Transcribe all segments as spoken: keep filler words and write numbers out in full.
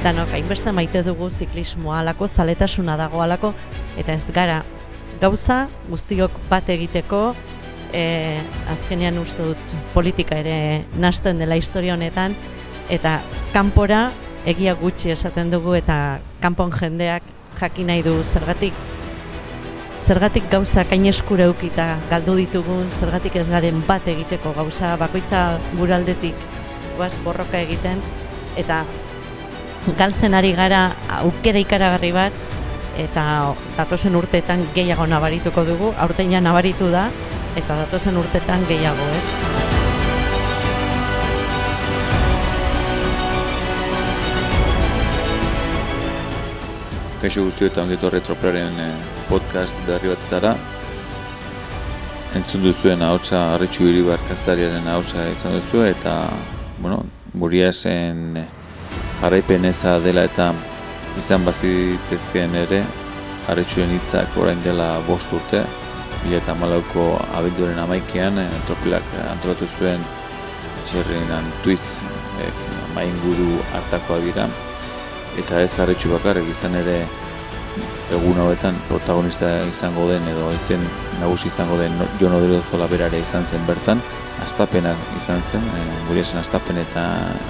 danok hainbeste maite dugu ziklismoa alako, zaletasuna dago alako, eta ez gara gauza guztiok bat egiteko, e, azkenean uste dut politika ere nasten dela historia honetan, eta kanpora egia gutxi esaten dugu, eta kanpon jendeak jakin nahi du zergatik zergatik gauza kain eskura eukita galdu ditugun, zergatik ez garen bat egiteko gauza bakoitza guraldetik goaz borroka egiten, eta galtzen ari gara aukera ikaragarri bat, eta datozen urteetan gehiago nabarituko dugu, aurten ja nabaritu da, eta datozen urteetan gehiago, ez? Kaixo guztioetan ongi etorri Tropearen podcast berri batetara. Entzun duzuen ahotsa Arritxu Iribar kaztariaren ahotsa izan duzu, eta bueno, Muriasen jarraipen eza dela eta izan bazitezkeen ere, Arritxuren hitzak orain dela bost urte, bi mila hamalauko abenduaren hamaikean Tropelak antolatu zuen txerrinan tuitz mainguru hartakoa dira. Eta ez Arritxu bakarrik, izan ere egun hauetan protagonista izango den edo izen nagusi izango den Jon Odriozola berare izan zen bertan, Astapena izan zen, e, Muriasen Astapen eta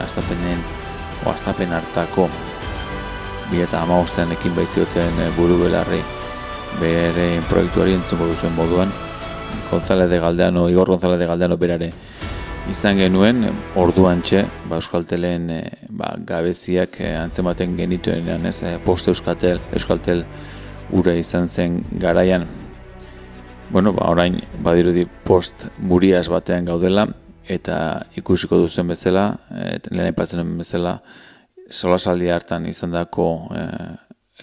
Astapenen o Astapen hartako bi mila hamabostean ekin baizioten buru belarri bere proiektuari entzungo duzuen moduan, González de Galdeano, Igor González de Galdeano berare izan genuen, orduan txe, ba, Euskaltelen e, ba, gabeziak e, antzematen genituenean, ez, e, post Euskaltel, Euskaltel ura izan zen garaian. Bueno, ba, orain badirudi post Murias batean gaudela, eta ikusiko duzen bezala, e, lehen aipatzen bezala, solasaldi hartan izandako, e,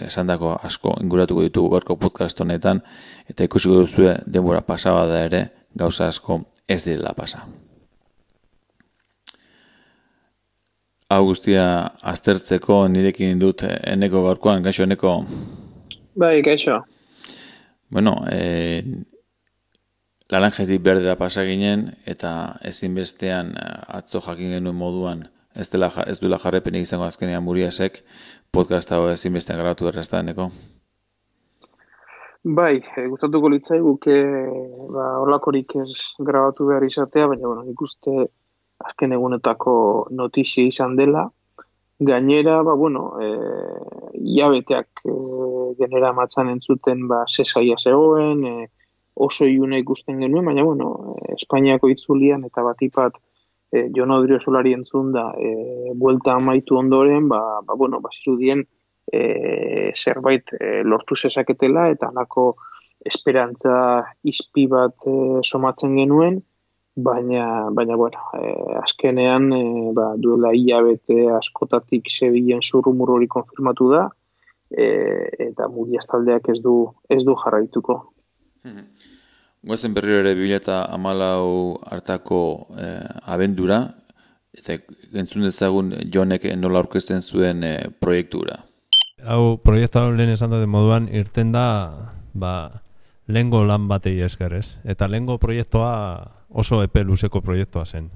esandako asko inguratuko ditugu gaurko podcast honetan, eta ikusiko duzue denbora pasaba da ere, gauza asko ez direla pasa. Hau guztia aztertzeko nirekin dut Eneko gaurkoan, gaixo Eneko? Bai, gaixo. Bueno, e, laranjetik berdera pasa ginen, eta ezinbestean atzo jakin genuen moduan, ez, dela, ez duela jarrepenik izango azkenean Muriasek, podcast hau ezinbestean grabatu errazta, Eneko? Bai, e, gustatuko litzaiguke ba, horlakorik ez grabatu behar izatea, baina bueno, nik uste azken egunetako notizia izan dela. Gainera, ba, bueno, e, iabeteak e, genera matzan entzuten ba, zesaia zegoen, e, oso iuna ikusten genuen, baina, bueno, e, Espainiako itzulian eta batipat e, Jon Odriozolari entzun da e, buelta amaitu ondoren, ba, ba, bueno, bazirudien e, zerbait e, lortu zezaketela, eta halako esperantza izpi bat e, somatzen genuen, Baina, baina bueno, eh, azkenean eh, ba, duela hilabete askotatik Sevillan zurrumur hori konfirmatu da, eh, eta Murias taldeak ez du ez du jarraituko. Goazen berriro ere bi mila hamalau hartako eh, abendura, eta entzun dezagun Jonek nola aurkezten zuen eh, proiektura. Hau proiektu hau lehen esan duten moduan irten da ba, lehengo lan batei esker, ez? Eta lehengo proiektua oso epe luzeko proiektua zen.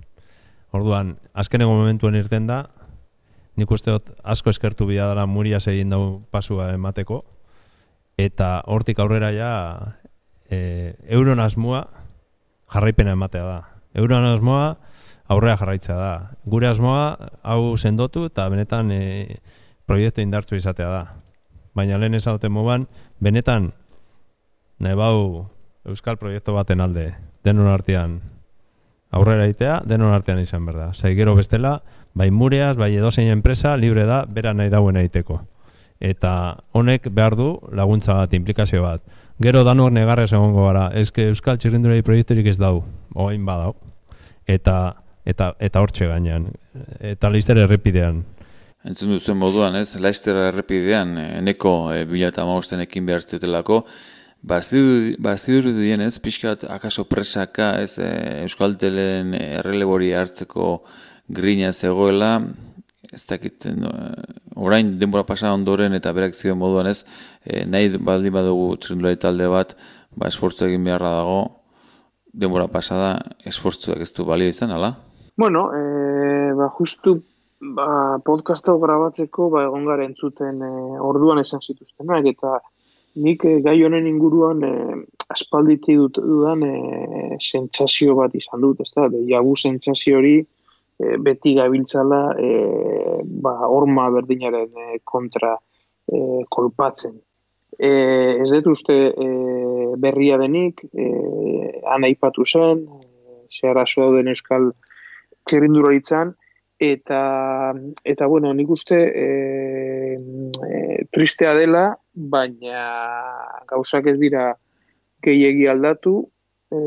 Orduan, azkeneko momentuen irten da, nik uste dut asko eskertu bila dela Murias egin dau pasua emateko, eta hortik aurrera ja e, euron asmoa jarraipena ematea da. Euron asmoa aurrera jarraitzea da. Gure asmoa hau sendotu eta benetan e, proiektu indartsu izatea da. Baina lehen esaten moban, benetan nahi bau euskal proiektu baten alde, denon artean aurrera itea, denon artean izan berda. Zai gero bestela, bai Murias, bai edozein enpresa, libre da, bera nahi dauen egiteko. Eta honek behar du laguntza bat, implikazio bat. Gero danor negarrez egongo gara, ezke euskal txirrindulari proiekturik ez dau, oain badau. Eta eta eta hortxe gainean, eta Laster errepidean. Entzun duzuen moduan, ez? Laster errepidean, Eneko e, bi mila hamabostean ekin behar zutelako, Bazidur dien ez, pixkat akaso presaka, ez, e, Euskaltelen errelebori hartzeko grina zegoela, ez dakit, no, orain denbora pasa ondoren eta berak zioen moduan ez, e, nahi baldin badugu txirrindulari talde bat, ba, esfortzu egin beharra dago, denbora pasada, esfortzuak ez du balio izan, ala? Bueno, e, ba, justu Ba, podcast hau grabatzeko ba, egon gara entzuten e, orduan esan zituztenak, eta nik e, gai honen inguruan e, aspalditik dut dudan e, sentsazio bat izan dut, ez da, de jagu sentsazio hori e, beti gabiltzala e, ba, horma berdinaren e, kontra e, kolpatzen. E, ez dut uste e, berria denik, e, han aipatu zen, e, zehar aso dauden euskal txirrindularitzan, Eta, eta bueno, nik uste e, e, tristea dela, baina gauzak ez dira gehiegi aldatu. E,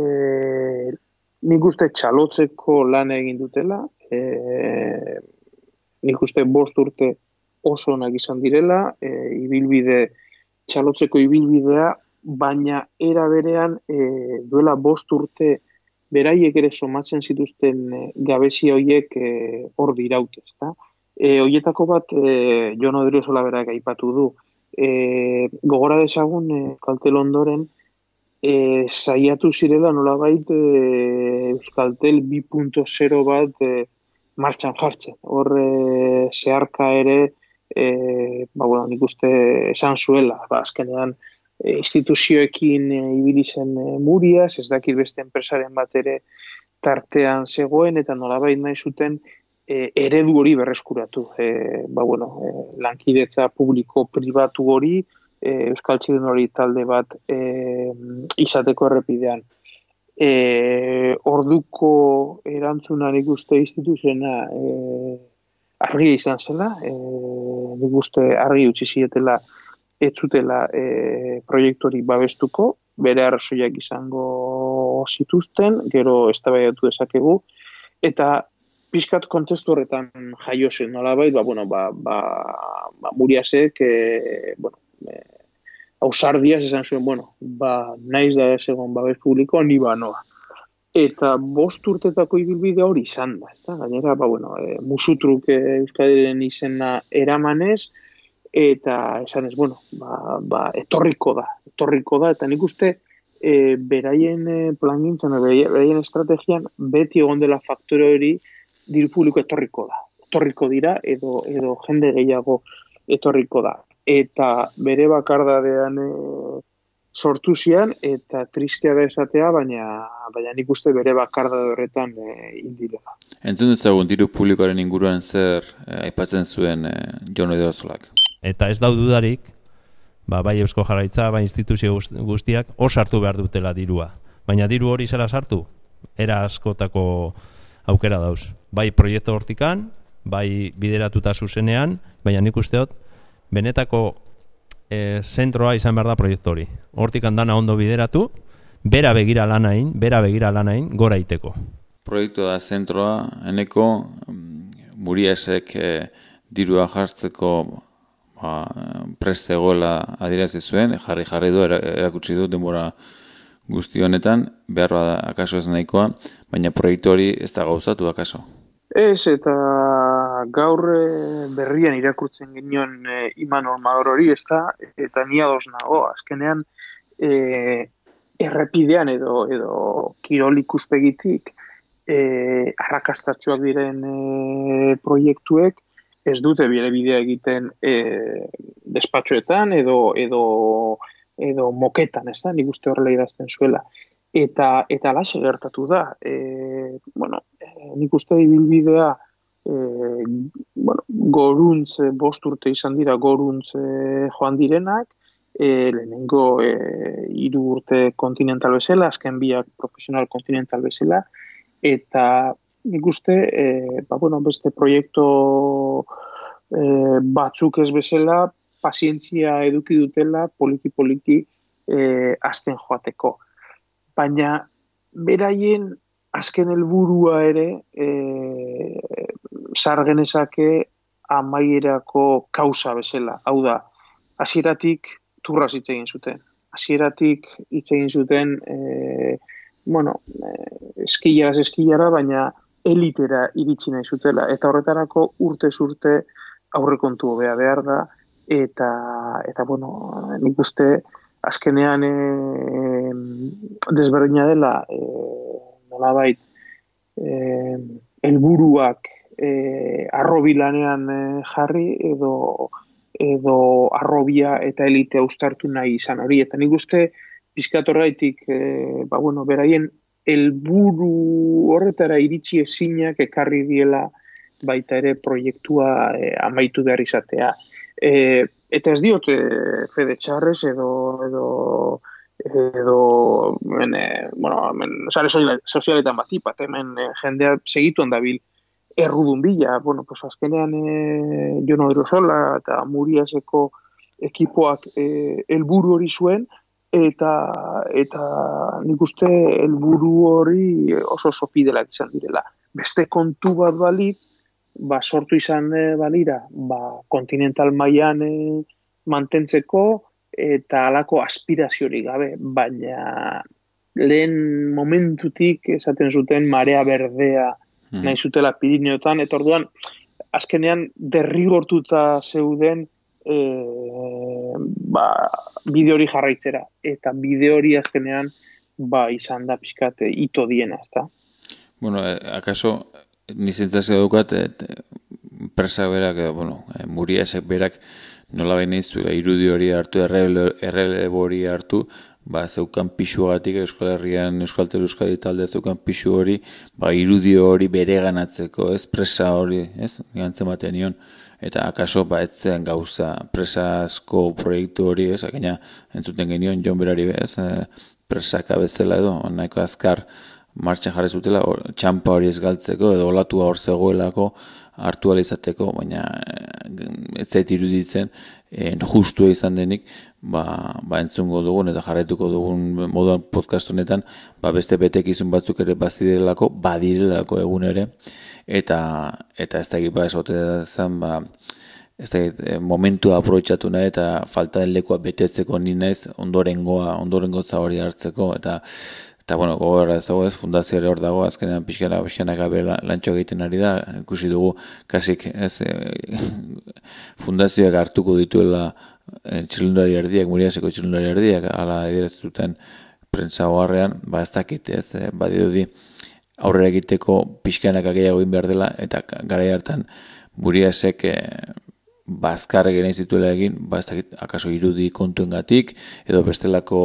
nik uste txalotzeko lan egin dutela. E, nik uste bost urte oso onak izan direla, e, ibilbide, txalotzeko ibilbidea, baina era berean e, duela bost urte beraiek ere somatzen zituzten e, gabezia horiek hor e, diraute, ezta? E, hoietako bat e, Jon Odriozola berak aipatu du. E, gogora dezagun e, Euskaltel ondoren e, saiatu zirela nolabait e, Euskaltel bi puntu zero bat e, martxan jartzen. Hor e, zeharka ere e, ba, bueno, nik uste esan zuela, ba, azkenean instituzioekin e, ibili zen e, Muriaz, ez dakit beste enpresaren bat ere tartean zegoen, eta nolabait nahi zuten e, eredu hori berreskuratu. E, ba, bueno, e, lankidetza publiko-pribatu hori, e, Euskal Txirrindulari talde bat e, izateko errepidean. E, orduko erantzuna nik uste instituzioena e, argi izan zela, e, nik uste argi utzi zietela ez zutela e, proiektu hori babestuko, bere arrazoiak izango zituzten, gero eztabaidatu dezakegu, eta pixkat kontestu horretan jaio zen nolabait, ba, bueno, ba, ba, ba Muriasek, e, bueno, e, ausardiaz esan zuen, bueno, ba, naiz da egon babes publiko, ni ba noa. Eta bost urtetako ibilbide hori izan da, ezta? Gainera, ba, bueno, e, musutruk e, Euskadiren izena eramanez, eta esan ez, bueno, ba, ba, etorriko da, etorriko da, eta nik uste e, beraien e, plangintzan, beraien estrategian, beti egon dela faktore hori diru publiko etorriko da. Etorriko dira, edo, edo jende gehiago etorriko da. Eta bere bakardadean e, sortu zian, eta tristea da esatea, baina, baina nik uste bere bakardade horretan e, indirela. Entzun dezagun diru publikoaren inguruan zer e, aipatzen zuen e, Jon Odriozolak. Eta ez dau dudarik, ba, bai Eusko Jaurlaritza, bai instituzio guztiak hor sartu behar dutela dirua. Baina diru hori zera sartu, era askotako aukera dauz. Bai proiektu hortikan, bai bideratuta zuzenean, baina nik usteot, benetako e, zentroa izan behar da proiektu hori. Hortikan dana ondo bideratu, bera begira lanain, bera begira lanain, gora iteko. Proiektu da zentroa, eneko Muriasek e, dirua jartzeko ba, prest zegoela adierazi zuen, jarri jarri du, erakutsi du denbora guzti honetan, behar bada akaso ez nahikoa, baina proiektu hori ez da gauzatu akaso. Ez, eta gaur berrian irakurtzen genion e, Imanol Magor hori, ez da, eta ni ados nago, azkenean e, errepidean edo, edo kirol ikuspegitik e, arrakastatsuak diren e, proiektuek, ez dute bere bidea egiten e, despatxoetan edo, edo, edo moketan, ez da, nik uste horrela idazten zuela. Eta, eta alaxe gertatu da. E, bueno, e, nik uste ibilbidea e, bueno, goruntz, bost urte izan dira goruntz e, joan direnak, e, lehenengo e, hiru urte kontinental bezala, azken biak profesional kontinental bezala, eta nik uste, e, ba, bueno, beste proiektu e, batzuk ez bezala, pazientzia eduki dutela poliki-poliki e, azten joateko. Baina, beraien azken helburua ere e, sargenezake amaierako kausa bezala. Hau da, hasieratik turraz hitz egin zuten. Hasieratik hitz egin zuten, e, bueno, e, eskilaraz eskilara, baina elitera iritsi nahi zutela. Eta horretarako urtez urte aurrekontu hobea behar da, eta, eta bueno, nik uste azkenean e, desberdina dela, e, nolabait, e, helburuak e, arrobi lanean e, jarri edo edo arrobia eta elitea uztartu nahi izan hori. Eta nik uste pizkatorraitik, e, ba, bueno, beraien helburu horretara iritsi ezinak ekarri diela baita ere proiektua e, amaitu behar izatea. E, eta ez diot e, fede txarrez edo edo edo men, e, bueno, men, sare sozialetan batipat, hemen e, jendea segituan dabil errudun bila, bueno, pues azkenean e, Jon Odriozola eta Muriaseko ekipoak e, helburu hori zuen, eta eta nik uste helburu hori oso oso fidelak izan direla. Beste kontu bat balit, ba, sortu izan e, balira, ba, kontinental mailan e, mantentzeko eta halako aspiraziorik gabe, baina lehen momentutik esaten zuten marea berdea nahi zutela Pirineotan, eta orduan, azkenean derrigortuta zeuden e, ba, bide hori jarraitzera, eta bide hori azkenean ba, izan da pixkat ito diena, ezta? Bueno, eh, akaso, nizentzazio dukat, et, presa berak, eh, bueno, eh, Muriasek berak nola baina izuela irudi hori hartu, errelebo hori hartu, ba, zeukan pixuagatik Euskal Herrian, Euskaltel Euskadi talde zeukan pixu hori, ba, irudi hori bere ganatzeko, ez presa hori, ez, gantzen batean nion, eta akaso, ba, ez zen gauza presazko proiektu hori, ez, akena entzuten genion, Jon berari, ez, presaka bezala edo, nahiko azkar martxan jarri zutela, or, txampa hori ez galtzeko, edo olatua hor zegoelako, hartu izateko, baina ez zait iruditzen, en, justua izan denik, ba, ba entzungo dugun eta jarraituko dugun moduan podcast honetan, ba beste betekizun batzuk ere bazidirelako, badirelako egun ere, eta eta ez da egipa esote zen, ba, ez da momentua aprobetxatu nahi eta falta den lekua betetzeko ni naiz ondorengoa, ondorengo hori hartzeko, eta Eta, bueno, gogorra ez dago ez, fundazio ere hor dago, azkenean pixkana, pixkana gabe lantxo egiten ari da, ikusi dugu, kasik, ez, e, fundazioak hartuko dituela e, txirrindulari erdiak, Muriaseko txirrindulari erdiak, ala ediraztuten prentsa hogarrean, ba ez dakit, ez, e, badirudi aurrera egiteko pixkanak gehiago egin behar dela, eta garai hartan Muriasek e, bazkarre genei zituela egin, ba ez dakit, akaso irudi kontuengatik, edo bestelako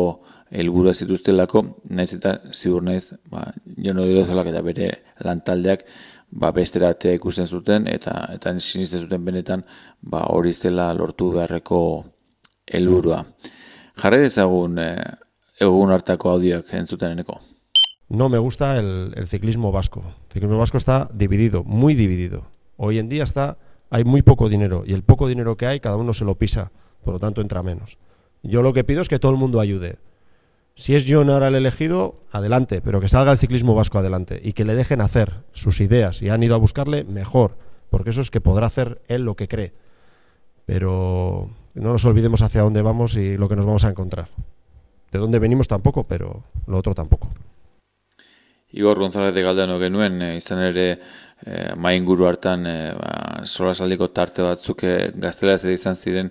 helburua zituztelako, naiz eta ziur naiz, ba, Jon Odriozolak eta bere lantaldeak ba, besteratea ikusten zuten, eta eta sinisten zuten benetan ba, hori zela lortu beharreko helburua. Jarri dezagun eh, egun hartako audioak entzuten eneko. No me gusta el, el ciclismo vasco. El ciclismo vasco está dividido, muy dividido. Hoy en día está, hay muy poco dinero, y el poco dinero que hay, cada uno se lo pisa, por lo tanto entra menos. Yo lo que pido es que todo el mundo ayude. Si es Jon ahora el elegido, adelante, pero que salga el ciclismo vasco adelante y que le dejen hacer sus ideas. Si han ido a buscarle, mejor, porque eso es que podrá hacer él lo que cree. Pero no nos olvidemos hacia dónde vamos y lo que nos vamos a encontrar. De dónde venimos tampoco, pero lo otro tampoco. Igor González de Galdano genuen, e, izan ere e, mainguru hartan e, ba, solasaldiko tarte batzuk e, gaztelaz izan ziren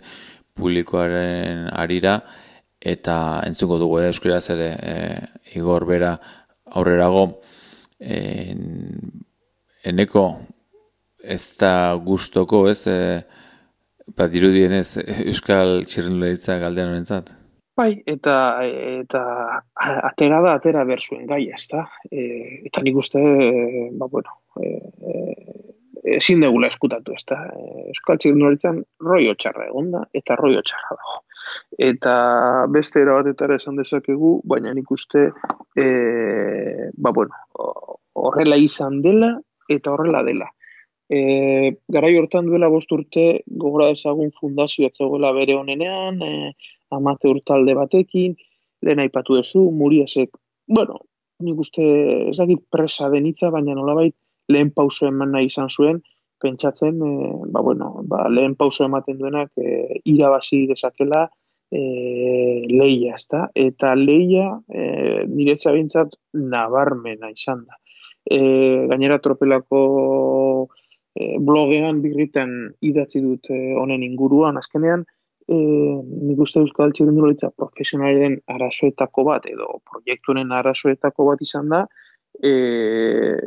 publikoaren arira, eta entzuko dugu eh, euskaraz ere eh, Igor bera aurrerago eh, eneko ez da gustoko ez eh, bat dirudienez euskal txirrindularitza Galdeanorentzat. Bai, eta eta atera da atera berzuen gai, ezta? E, eta nik uste, e, ba bueno, e, e, ezin degula eskutatu, ezta? E, euskal txirrindularitzan roio txarra egonda eta roio txarra dago. Eta beste era batetara esan dezakegu, baina nik uste e, ba bueno, horrela izan dela eta horrela dela. E, garai hortan duela bost urte gogora dezagun fundazioa zegoela bere honenean, e, amateur talde batekin, lehen aipatu duzu, Muriasek, bueno, nik uste ez dakit presa denitza, baina nolabait lehen pauso eman nahi izan zuen, pentsatzen, e, ba bueno, ba, lehen pauso ematen duenak e, irabazi dezakela e, leia, ezta? Eta leia e, niretza bintzat nabarmena izan da. E, gainera tropelako e, blogean birritan idatzi dut e, honen inguruan, azkenean, e, nik uste euskal txirrindularitza profesionalen arazoetako bat, edo proiektuaren arazoetako bat izan da, e,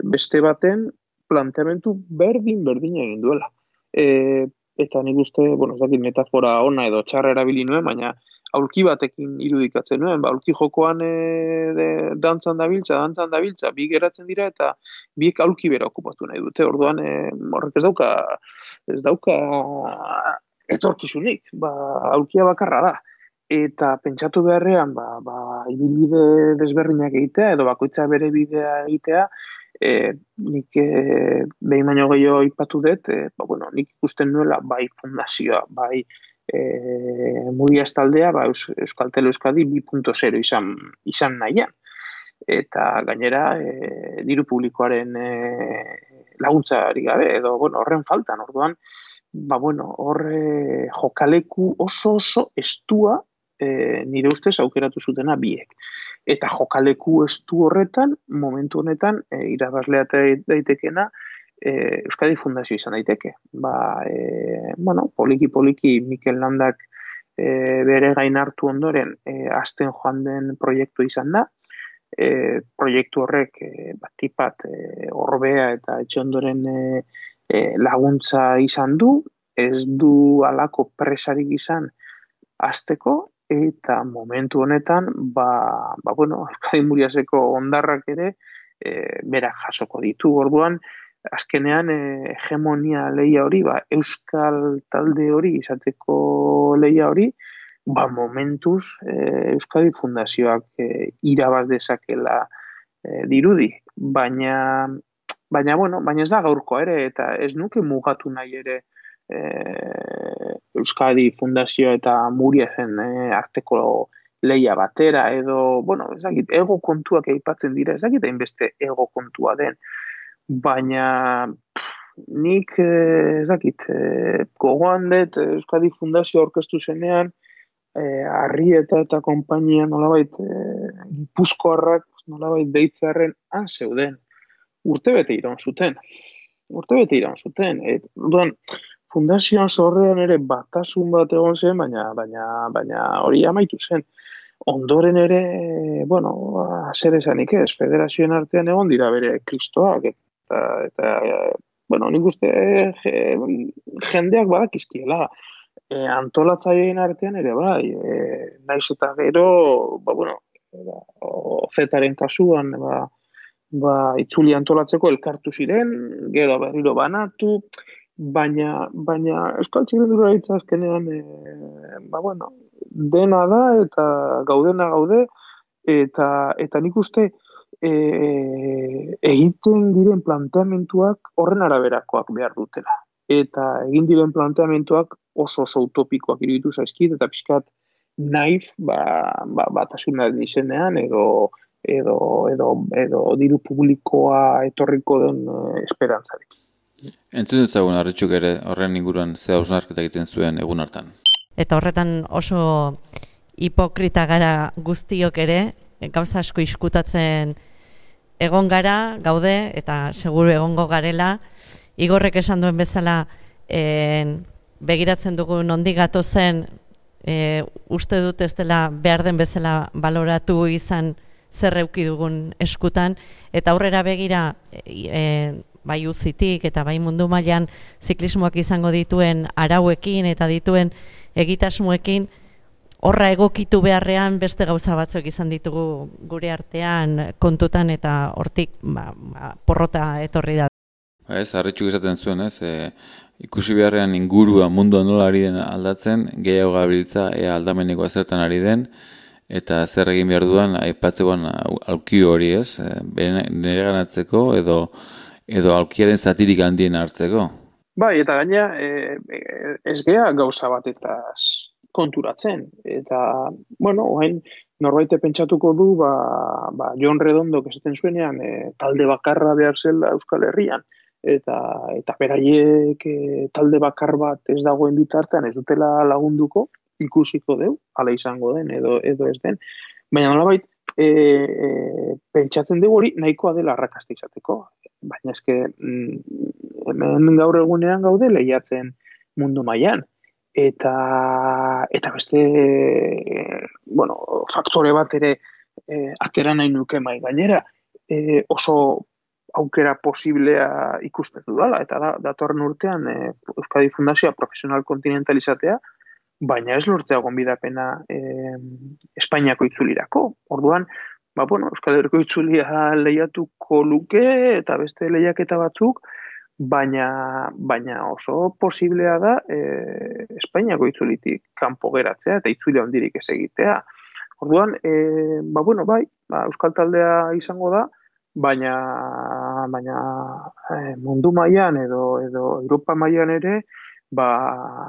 beste baten planteamentu berdin-berdin egin duela. E, eta nik uste, bueno, ez dakit metafora ona edo txarra erabili nuen, baina aulki batekin irudikatzen nuen, ba, aulki jokoan e, de, dantzan dabiltza, dantzan dabiltza, bi geratzen dira eta biek aulki bera okupatu nahi dute. Orduan, e, horrek ez dauka, ez dauka etorkizunik, ba, aulkia bakarra da. Eta pentsatu beharrean, ba, ba, ibilbide desberdinak egitea, edo bakoitza bere bidea egitea, e, nik e, behin baino gehiago aipatu dut, e, ba, bueno, nik ikusten nuela bai fundazioa, bai e, Murias taldea, ba, Eus, Euskaltel Euskadi bi puntu zero izan, izan nahian. Eta gainera, e, diru publikoaren e, laguntzari gabe, edo bueno, horren faltan, orduan, ba, bueno, hor e, jokaleku oso oso estua E, nire ustez aukeratu zutena biek. Eta jokaleku estu horretan, momentu honetan, e, irabazlea daitekena, e, Euskadi Fundazio izan daiteke. Ba, e, bueno, poliki-poliki Mikel Landak e, bere gain hartu ondoren e, azten joan den proiektu izan da. E, proiektu horrek e, batipat e, Orbea eta etxe ondoren e, e, laguntza izan du, ez du alako presarik izan azteko, eta momentu honetan, ba, ba bueno, Euskadi Muriaseko hondarrak ere e, berak jasoko ditu. Orduan, azkenean e, hegemonia lehia hori, ba, Euskal talde hori izateko lehia hori, ba, momentuz e, Euskadi Fundazioak e, irabaz dezakela e, dirudi. Baina, baina, bueno, baina ez da gaurko ere, eta ez nuke mugatu nahi ere E, Euskadi Fundazio eta Muriasen e, arteko lehia batera edo, bueno, ez dakit, ego kontuak aipatzen dira, ez dakit hainbeste ego kontua den, baina nik ez dakit, e, gogoan dut Euskadi Fundazio aurkeztu zenean, e, Arrieta eta konpainia nolabait e, Gipuzkoarrak nolabait deitzearen han zeuden, urtebete iraun zuten, urtebete iraun zuten, et, duan, Fundazioan zorrean ere batasun bat egon zen, baina, baina, baina hori amaitu zen. Ondoren ere, bueno, zer esanik ez, federazioen artean egon dira bere kristoak, eta, eta bueno, nik uste jendeak badakizkiela, e, antolatzaileen artean ere bai, e, naiz eta gero, ba, bueno, Zetaren kasuan, ba, ba, itzuli antolatzeko elkartu ziren, gero berriro banatu, Baina, baina Euskal Txirrindularitza azkenean, e, ba, bueno, dena da eta gaudena gaude, eta, eta nik uste e, egiten diren planteamentuak horren araberakoak behar dutela. Eta egin diren planteamentuak oso oso utopikoak iruditu zaizkit, eta pixkat naif, ba, ba, batasunaren izenean, edo, edo, edo, edo diru publikoa etorriko den e, esperantzarik. Entzun ezagun Arritxuk ere horren inguruan ze hausnarketa egiten zuen egun hartan. Eta horretan oso hipokrita gara guztiok ere, gauza asko iskutatzen egon gara, gaude, eta seguru egongo garela. Igorrek esan duen bezala, e, begiratzen dugu nondik gatozen, e, uste dut ez dela behar den bezala baloratu izan zer eduki dugun eskutan, eta aurrera begira, e, bai uzitik eta bai mundu mailan ziklismoak izango dituen arauekin eta dituen egitasmoekin horra egokitu beharrean beste gauza batzuk izan ditugu gure artean kontutan eta hortik ba, ba, porrota etorri da. Ez, Arritxuk esaten zuen, ez, e, ikusi beharrean ingurua mundua nola ari den aldatzen, gehiago gabiltza ea aldameneko zertan ari den, eta zer egin behar duan aipatzekoan aulki hori, ez, nire ganatzeko edo edo aulkiaren zatirik handien hartzeko. Bai, eta gaina e, ez gea gauza bat eta konturatzen. Eta, bueno, oain norbaite pentsatuko du, ba, ba Jon Redondok esaten zuenean, e, talde bakarra behar zela Euskal Herrian. Eta, eta beraiek e, talde bakar bat ez dagoen bitartean ez dutela lagunduko, ikusiko deu, hala izango den edo, edo ez den. Baina nolabait, e, e, pentsatzen dugu hori nahikoa dela arrakasta izateko. Baina eske mm, hemen gaur egunean gaude lehiatzen mundu mailan eta eta beste bueno, faktore bat ere e, atera nahi nuke mai gainera e, oso aukera posiblea ikusten dudala, eta da, datorren urtean e, Euskadi Fundazioa profesional kontinentalizatea, baina ez lortzea gonbidapena e, Espainiako itzulirako. Orduan, ba, bueno, Euskal Herriko itzulia lehiatuko luke eta beste lehiaketa batzuk, baina, baina oso posiblea da e, Espainiako itzulitik kanpo geratzea eta itzulia hondirik ez egitea. Orduan, e, ba, bueno, bai, ba, Euskal Taldea izango da, baina, baina e, mundu mailan edo, edo Europa mailan ere, ba,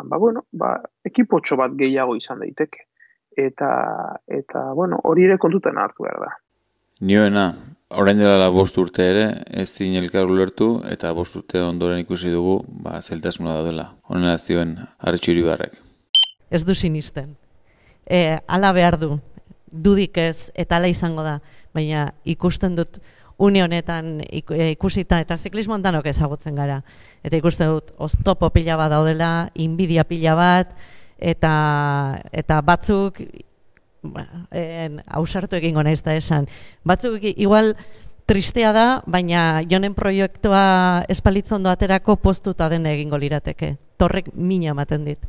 ba, bueno, ba, ekipotxo bat gehiago izan daiteke. Eta, eta bueno, hori ere kontutan hartu behar da. Nioena, orain dela bost urte ere, ez zin elkar ulertu, eta bost urte ondoren ikusi dugu, ba, zeltasuna da dela. Honela zioen, Arretxu Iribarrek. Ez du sinisten. E, ala behar du, dudik ez, eta ala izango da, baina ikusten dut une honetan ikusita, eta ziklismoan danok ezagutzen gara. Eta ikusten dut, oztopo pila bat daudela, inbidia pila bat, eta, eta batzuk, hausartu egingo naiz da esan, batzuk igual tristea da, baina jonen proiektua espalitzondo aterako postuta dena egingo lirateke. Torrek mina ematen dit.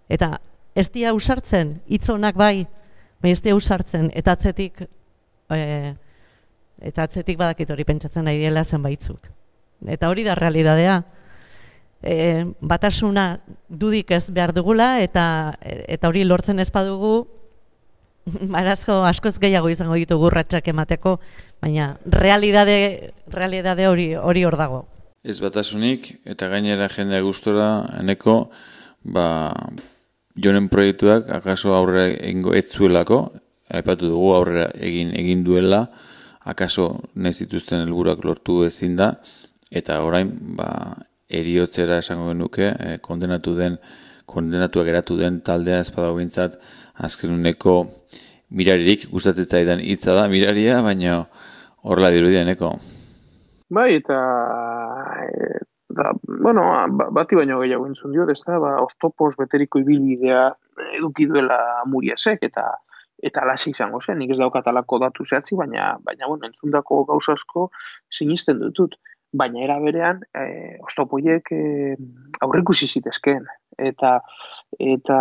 Eta ez dia ausartzen, hitzonak bai, bai ez dia ausartzen, eta atzetik, e, eta atzetik badakit hori pentsatzen nahi diela zenbaitzuk. Eta hori da realidadea. E, batasuna dudik ez behar dugula, eta, eta hori lortzen ez badugu, Marazko askoz gehiago izango ditugu urratsak emateko, baina realidade, realidade hori hori hor dago. Ez batasunik, eta gainera jendea gustora, eneko, ba, jonen proiektuak, akaso aurrera egingo ez zuelako, aipatu dugu aurrera egin egin duela, akaso nahi zituzten helburuak lortu ezin da, eta orain, ba, eriotzera esango genuke, eh, kondenatu den, kondenatuak geratu den taldea espadago gintzat, azkenuneko miraririk, gustatzen zaidan hitza da miraria, baina horrela dirudianeko. Bai, eta, eta bueno, bati baino gehiago entzun diot, ez da, ba, oztopoz beteriko ibilbidea eduki duela Muriasek, eta eta alasi izango zen, nik ez daukatalako datu zehatzi, baina, baina bueno, entzundako gauza asko sinisten dutut. Baina era berean, e, oztopoiek e, aurrikusi zitezkeen. Eta, eta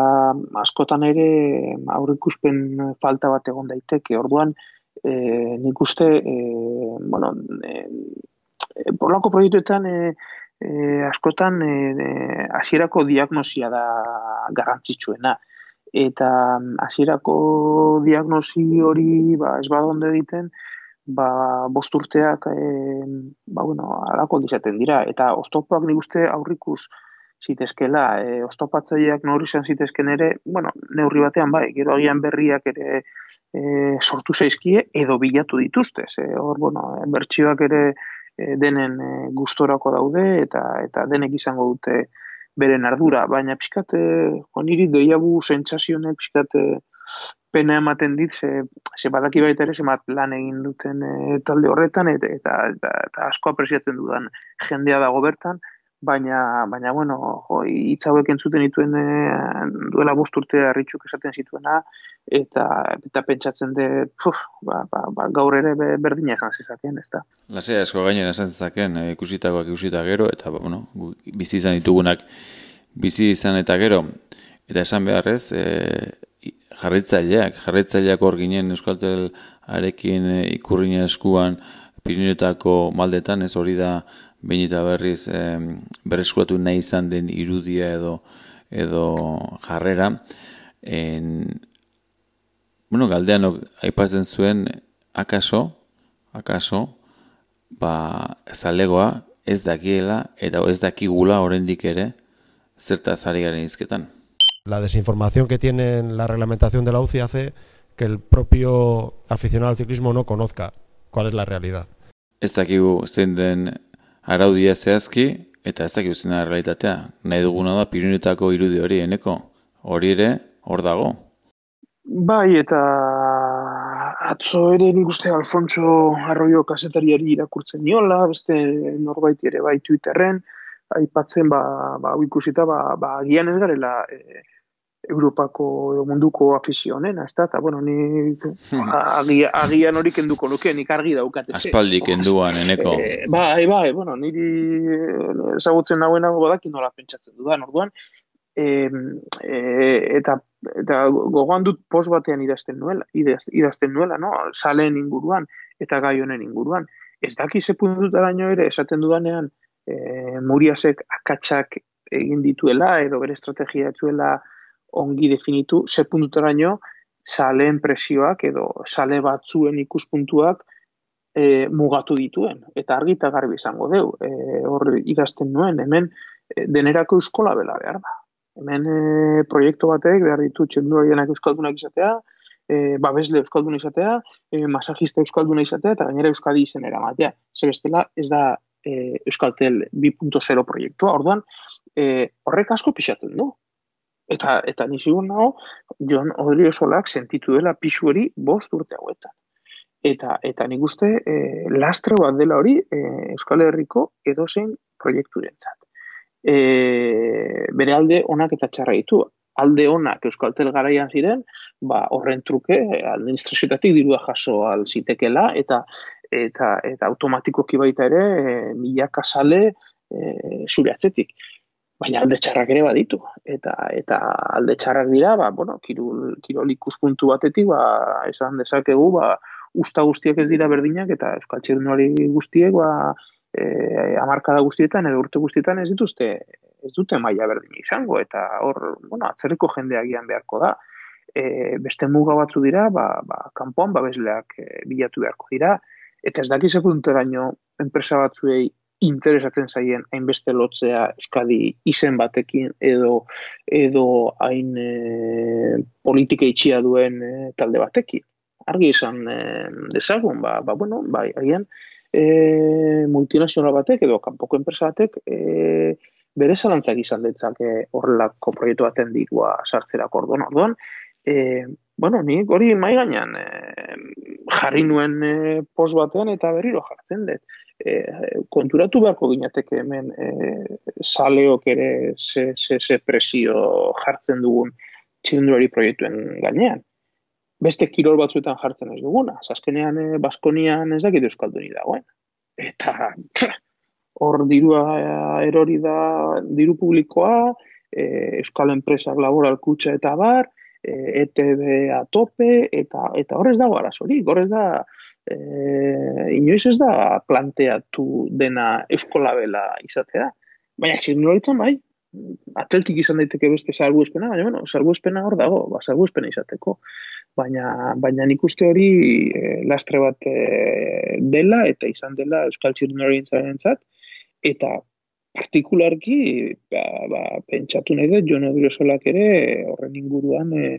askotan ere aurrikuspen falta bat egon daiteke. Orduan, e, nik uste, e, bueno, e, e, porlako proiektuetan e, e, askotan hasierako e, diagnosia da garrantzitsuena. Eta hasierako diagnosi hori ba, ez bada ondo egiten, ba, bost urteak e, ba, bueno, alako izaten dira, eta oztopoak nik uste aurrikus zitezkela, e, oztopatzaileak neurri izan zitezken ere, bueno, neurri batean bai, gero agian berriak ere e, sortu zaizkie edo bilatu dituzte, e, hor, bueno, bertsioak ere e, denen e, gustorako daude, eta eta denek izango dute beren ardura, baina pixkat, e, oniri deiagu sentsazionek pixkat e, pena ematen dit, ze, ze badaki baita ere, zemat lan egin duten e, talde horretan, eta, eta, eta, eta asko apresiatzen dudan jendea dago bertan, baina, baina bueno, jo, hitz hauek entzuten dituen e, duela bost urte Arritxuk esaten zituena, eta, eta pentsatzen dut, puf, ba, ba, ba, gaur ere berdina esan zezakeen, ez da. Lasea asko gainera esan zezakeen, e, ikusitakoak ikusita gero, eta bueno, bizi izan ditugunak bizi izan eta gero, eta esan beharrez, e, jarraitzaileak, jarraitzaileak hor ginen Euskaltelarekin e, ikurrina eskuan Pirinioetako maldetan, ez hori da behin eta berriz e, berreskuratu nahi izan den irudia edo edo jarrera. En, bueno, galdeanok aipatzen zuen akaso, akaso, ba, zalegoa ez dakiela eta ez dakigula oraindik ere zertaz ari garen hizketan. La desinformación que tiene la reglamentación de la U C I hace que el propio aficionado al ciclismo no conozca cuál es la realidad. Ez dakigu zein den araudia zehazki, eta ez dakigu zein da realitatea. Nahi duguna da Pirinioetako irudi hori, eneko. Hori ere, hor dago. Bai, eta atzo ere nik uste Alfonso Arroyo kazetariari irakurtzen niola, beste norbait ere bai Twitterren, aipatzen, ba, ba, ikusita, ba, ba, agian ez garela e, Europako edo munduko afizio honena, ez da, eta, bueno, ni agia, agian hori kenduko nuke, nik argi daukat. Aspaldi kenduan, eneko. E, bai, bai, bueno, niri ezagutzen nagoenago badakin nola pentsatzen dudan, orduan, e, e, eta, eta gogoan dut post batean idazten nuela, idaz, idazten nuela, no? Saleen inguruan, eta gai honen inguruan. Ez daki ze puntutaraino ere, esaten dudanean, e, Muriasek akatsak egin dituela, edo bere estrategia etzuela ongi definitu, ze puntutaraino saleen presioak edo sale batzuen ikuspuntuak e, mugatu dituen. Eta argi eta garbi izango deu. E, hor idazten nuen, hemen e, denerako euskola bela behar da. Hemen e, proiektu batek behar ditu txendurarienak euskaldunak izatea, e, babesle euskalduna izatea, e, masajista euskalduna izatea, eta gainera Euskadi izenera matea. Zer bestela ez da e, Euskaltel bi puntu zero proiektua, orduan e, horrek asko pixatzen du. Eta, eta nizigur nago, Jon Odriosolak sentitu dela pixu hori bost urte hauetan. Eta, eta nik uste e, lastre bat dela hori e, Euskal Herriko edozein proiekturentzat. E, bere alde onak eta txarra ditu. Alde onak Euskaltel garaian ziren, ba, horren truke administrazioetatik dirua jaso alzitekela, eta, eta, eta automatikoki baita ere e, milaka sale e, zure atzetik. Baina alde txarrak ere baditu. Eta, eta alde txarrak dira, ba, bueno, kirol, kirol ikuspuntu batetik, ba, esan dezakegu, ba, usta guztiak ez dira berdinak, eta euskal txirrindulari guztiek, ba, e, hamarkada guztietan, edo urte guztietan ez dituzte, ez dute maila berdina izango, eta hor, bueno, atzerriko jendea agian beharko da. E, beste muga batzu dira, ba, ba, kanpoan babesleak e, bilatu beharko dira, eta ez dakiz punteraino enpresa batzuei interesatzen zaien hainbeste lotzea Euskadi izen batekin edo edo hain e, politika itxia duen e, talde batekin. Argi izan e, dezagun, ba, ba, bueno, bai, agian e, multinazional batek edo kanpoko enpresa batek e, bere zalantzak izan ditzake horrelako proiektu baten dirua sartzerako orduan. Orduan, e, bueno, nik hori mahai gainean e, jarri nuen e, post batean eta berriro jartzen dut. E, konturatu beharko ginateke hemen e, saleok ere ze, ze, ze presio jartzen dugun txirrindulari proiektuen gainean. Beste kirol batzuetan jartzen ez duguna. Azkenean e, Baskonian ez dakit euskalduni dagoen. Eta hor dirua erori da diru publikoa, e, euskal enpresak laboral kutxa eta bar, e, E T B a tope, eta, eta hor ez dago arazorik, hor ez da E, inoiz ez da planteatu dena euskolabela izatea. Baina txirrindularitzan bai, atletik izan daiteke beste salbuespena, baina bueno, salbuespena hor dago, ba, salbuespena izateko. Baina, baina nik uste hori e, lastre bat e, dela eta izan dela euskal txirrindularitzarentzat, eta partikularki ba, ba, pentsatu nahi dut Jon Odriosolak ere horren inguruan e,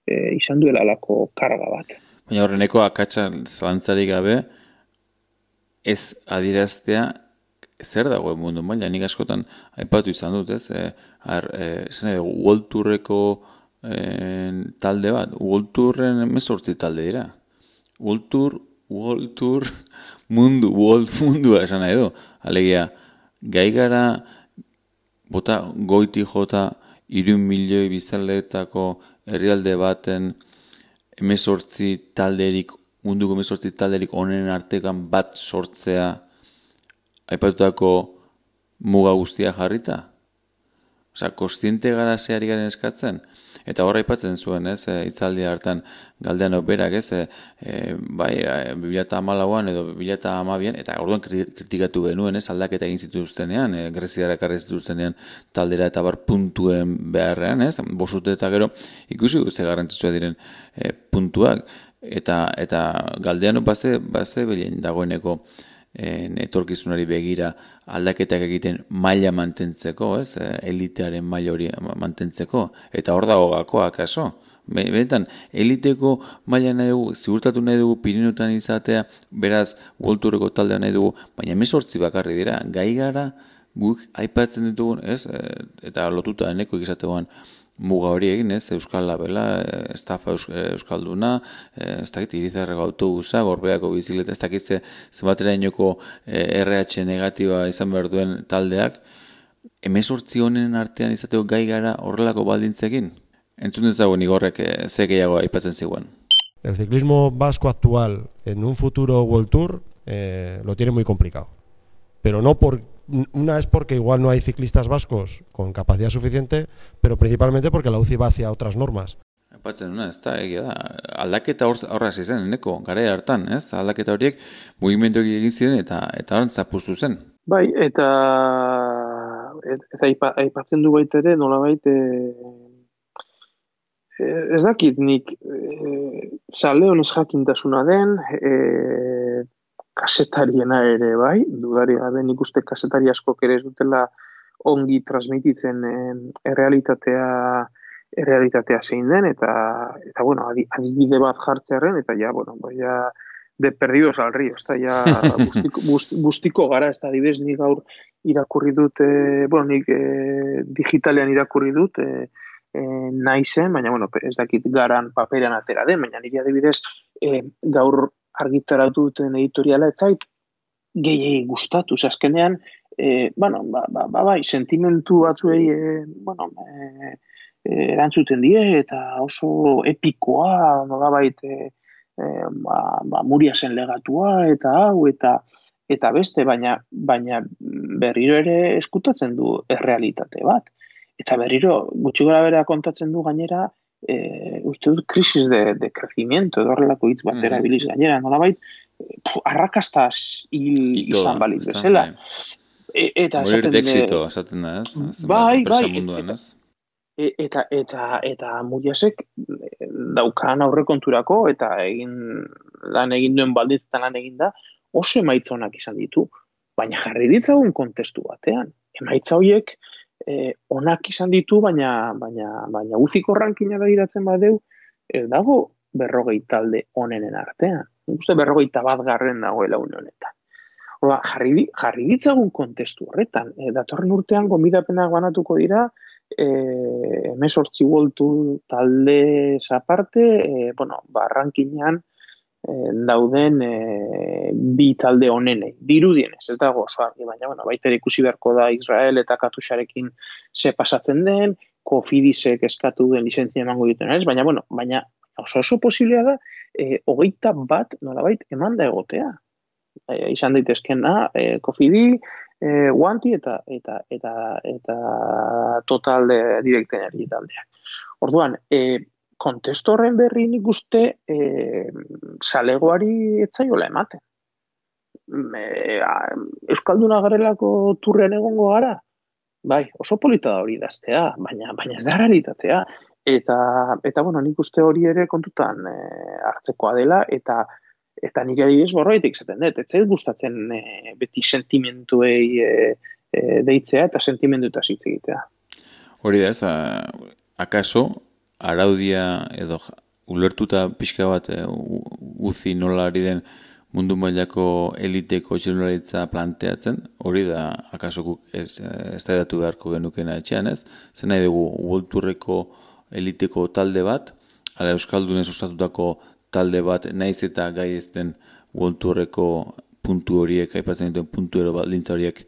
e, izan duela alako karga bat. Baina horreneko akatsa zalantzarik gabe ez adiraztea zer dagoen mundu maila. Nik askotan aipatu izan dut, ez? E, ar, e, zen, World Tourreko e, talde bat. World Tourren emezortzi talde dira. World Tour, World Tour, mundu, World mundua esan nahi du. Alegia, gai gara bota goiti jota hiru milioi biztanleetako herrialde baten emezortzi talderik, munduko emezortzi talderik onen artekan bat sortzea aipatutako muga guztia jarrita? Osea, kontziente gara zeari garen eskatzen? Eta horra aipatzen zuen, ez, e, hitzaldi hartan galdean berak, ez, e, e, bai, e, bi mila hamalauan edo bi mila hamabian, eta orduan kritikatu genuen, ez, aldaketa egin zituztenean, e, Greziara ekarri zituztenean taldera eta bar puntuen beharrean, ez, bosute eta gero, ikusi ze garrantzitsua diren e, puntuak, eta eta galdean base, base bilen dagoeneko En, etorkizunari begira aldaketak egiten maila mantentzeko, ez? Elitearen maila hori mantentzeko, eta hor dago gakoa akaso. Benetan, eliteko maila nahi dugu, ziurtatu nahi dugu Pirineotan izatea, beraz, World Tourreko taldea nahi dugu, baina hemezortzi bakarri dira, gai gara guk aipatzen ditugun, ez? Eta lotuta eneko izategoan muga hori egin, ez, Euskal Labela, estafa Euskalduna, ez dakit, Irizarreko autobusa, Gorbeako bizikleta, ez dakit, zenbatera inoko R H negatiba izan behar duen taldeak, hemezortzi honen artean izateko gai gara horrelako baldintzekin. entzun dezagun Igorrek eh, ze gehiago aipatzen ziguen. El ciclismo vasco actual en un futuro World Tour eh, lo tiene muy complicado. Pero no por una es porque igual no hay ciclistas vascos con capacidad suficiente, pero principalmente porque la U C I va hacia otras normas. Aipatzen duna, ez da, egia da, aldaketa horra zen, eneko, gara hartan, ez? Aldaketa horiek mugimendu egin ziren eta eta horren zapuztu zen. Bai, eta eta aipa, aipatzen du baita ere, nolabait e, ez dakit nik e, sale honez jakintasuna den, e, kasetariena ere, bai, dudari gabe nik uste kasetari askok ere ez dutela ongi transmititzen e, errealitatea errealitatea zein den, eta, eta bueno, adibide bat jartzearen, eta ja, bueno, bai, ja, de perdidos al río, ez da, ja, bustiko, bust, bustiko gara, ez da, adibidez, nik gaur irakurri dut, e, bueno, nik e, digitalean irakurri dut, e, e, nahi zen, baina, bueno, ez dakit garan paperean atera den, baina niri adibidez, e, gaur argitaratu duten editoriala, ez zait, gehiagik gustatu, azkenean, e, bueno, ba, ba, ba, bai, sentimentu batzuei, e, bueno, e, erantzuten die, eta oso epikoa, nolabait, e, e, ba, ba, Muriasen legatua, eta hau, eta eta beste, baina baina berriro ere eskutatzen du errealitate bat. Eta berriro, gutxi gora bera kontatzen du gainera, e, uste dut, krisis de, de crecimiento, edo horrelako hitz batera biliz gainera, nolabait, arrakastaz hil izan balitz bezala. E, eta morir de éxito, esaten da, ez? Bai, bai, munduan, ez? Eta eta eta Muriasek daukan aurrekonturako eta egin lan egin duen baldintzetan lan egin da oso emaitza onak izan ditu, baina jarri ditzagun kontestu batean. Emaitza horiek eh, onak izan ditu, baina baina baina U C I-ko rankina begiratzen badeu, ez dago berrogei talde onenen artean. Nik uste berrogeita bat garren dagoela une honetan. Horba, jarri, jarri ditzagun kontestu horretan. E, datorren urtean gonbidapenak banatuko dira, Eh, hemezortzi World Tour talde aparte, eh, bueno, barrankinean eh, dauden eh, bi talde onenei, dirudienez, ez dago oso argi, baina, bueno, baita ikusi beharko da Israel eta Katusharekin ze pasatzen den, Kofidisek eskatu den lizentzia emango duten, ez? Baina, bueno, baina oso oso posiblea da, eh, hogeita bat nolabait eman da egotea. Eh, izan daitezkena, eh, Kofidi, E, guanti eta eta eta eta total de direktenari taldeak. Orduan, e, kontestu horren berri nik uste e, salegoari etzaiola ematen. E, Euskalduna garelako turren egongo gara? Bai, oso polita da hori idaztea, baina baina ez da realitatea. Eta eta bueno, nik uste hori ere kontutan e, hartzekoa dela eta Eta nik adibidez borroitik zaten dut, ez zait gustatzen e, beti sentimentuei e, e, deitzea eta sentimenduetaz hitz egitea. Hori da, ez, akaso, araudia edo ulertuta pixka bat e, U C I nola ari den mundu mailako eliteko txirrindularitza planteatzen, hori da, akaso guk ez, ez da edatu beharko genukena etxean, ez? Zer nahi dugu, World Tourreko eliteko talde bat, ala Euskaldunez ostatutako talde bat, naiz eta gai ezten World Tourreko puntu horiek, aipatzen dituen puntu ero baldintza horiek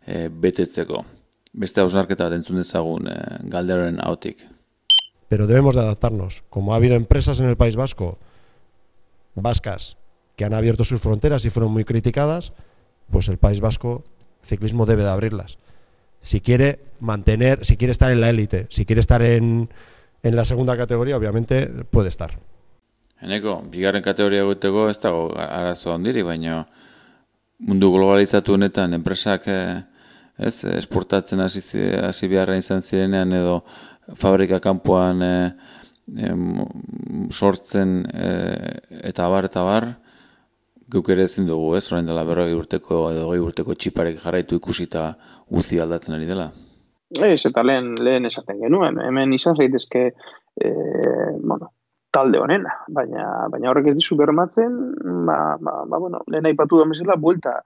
e, betetzeko. Beste hausnarketa bat entzun dezagun e, galderoren ahotik. Pero debemos de adaptarnos. Como ha habido empresas en el País Vasco, vascas, que han abierto sus fronteras y fueron muy criticadas, pues el País Vasco, ciclismo debe de abrirlas. Si quiere mantener, si quiere estar en la élite, si quiere estar en, en la segunda categoría, obviamente puede estar. Eneko, bigarren kategoria egoteko ez dago arazo handiri, baina mundu globalizatu honetan enpresak ez esportatzen hasi hasi beharra izan zirenean edo fabrika kanpoan e, e, sortzen e, eta abar eta abar guk ere ezin dugu, ez? Orain dela berrogei urteko edo hogei urteko txiparek jarraitu ikusita U C I aldatzen ari dela. Ez, eta lehen, lehen esaten genuen, hemen izan zaitezke e, bueno, talde honena, baina baina horrek ez dizu bermatzen, ba, ba, ba bueno, lehen aipatu da mesela buelta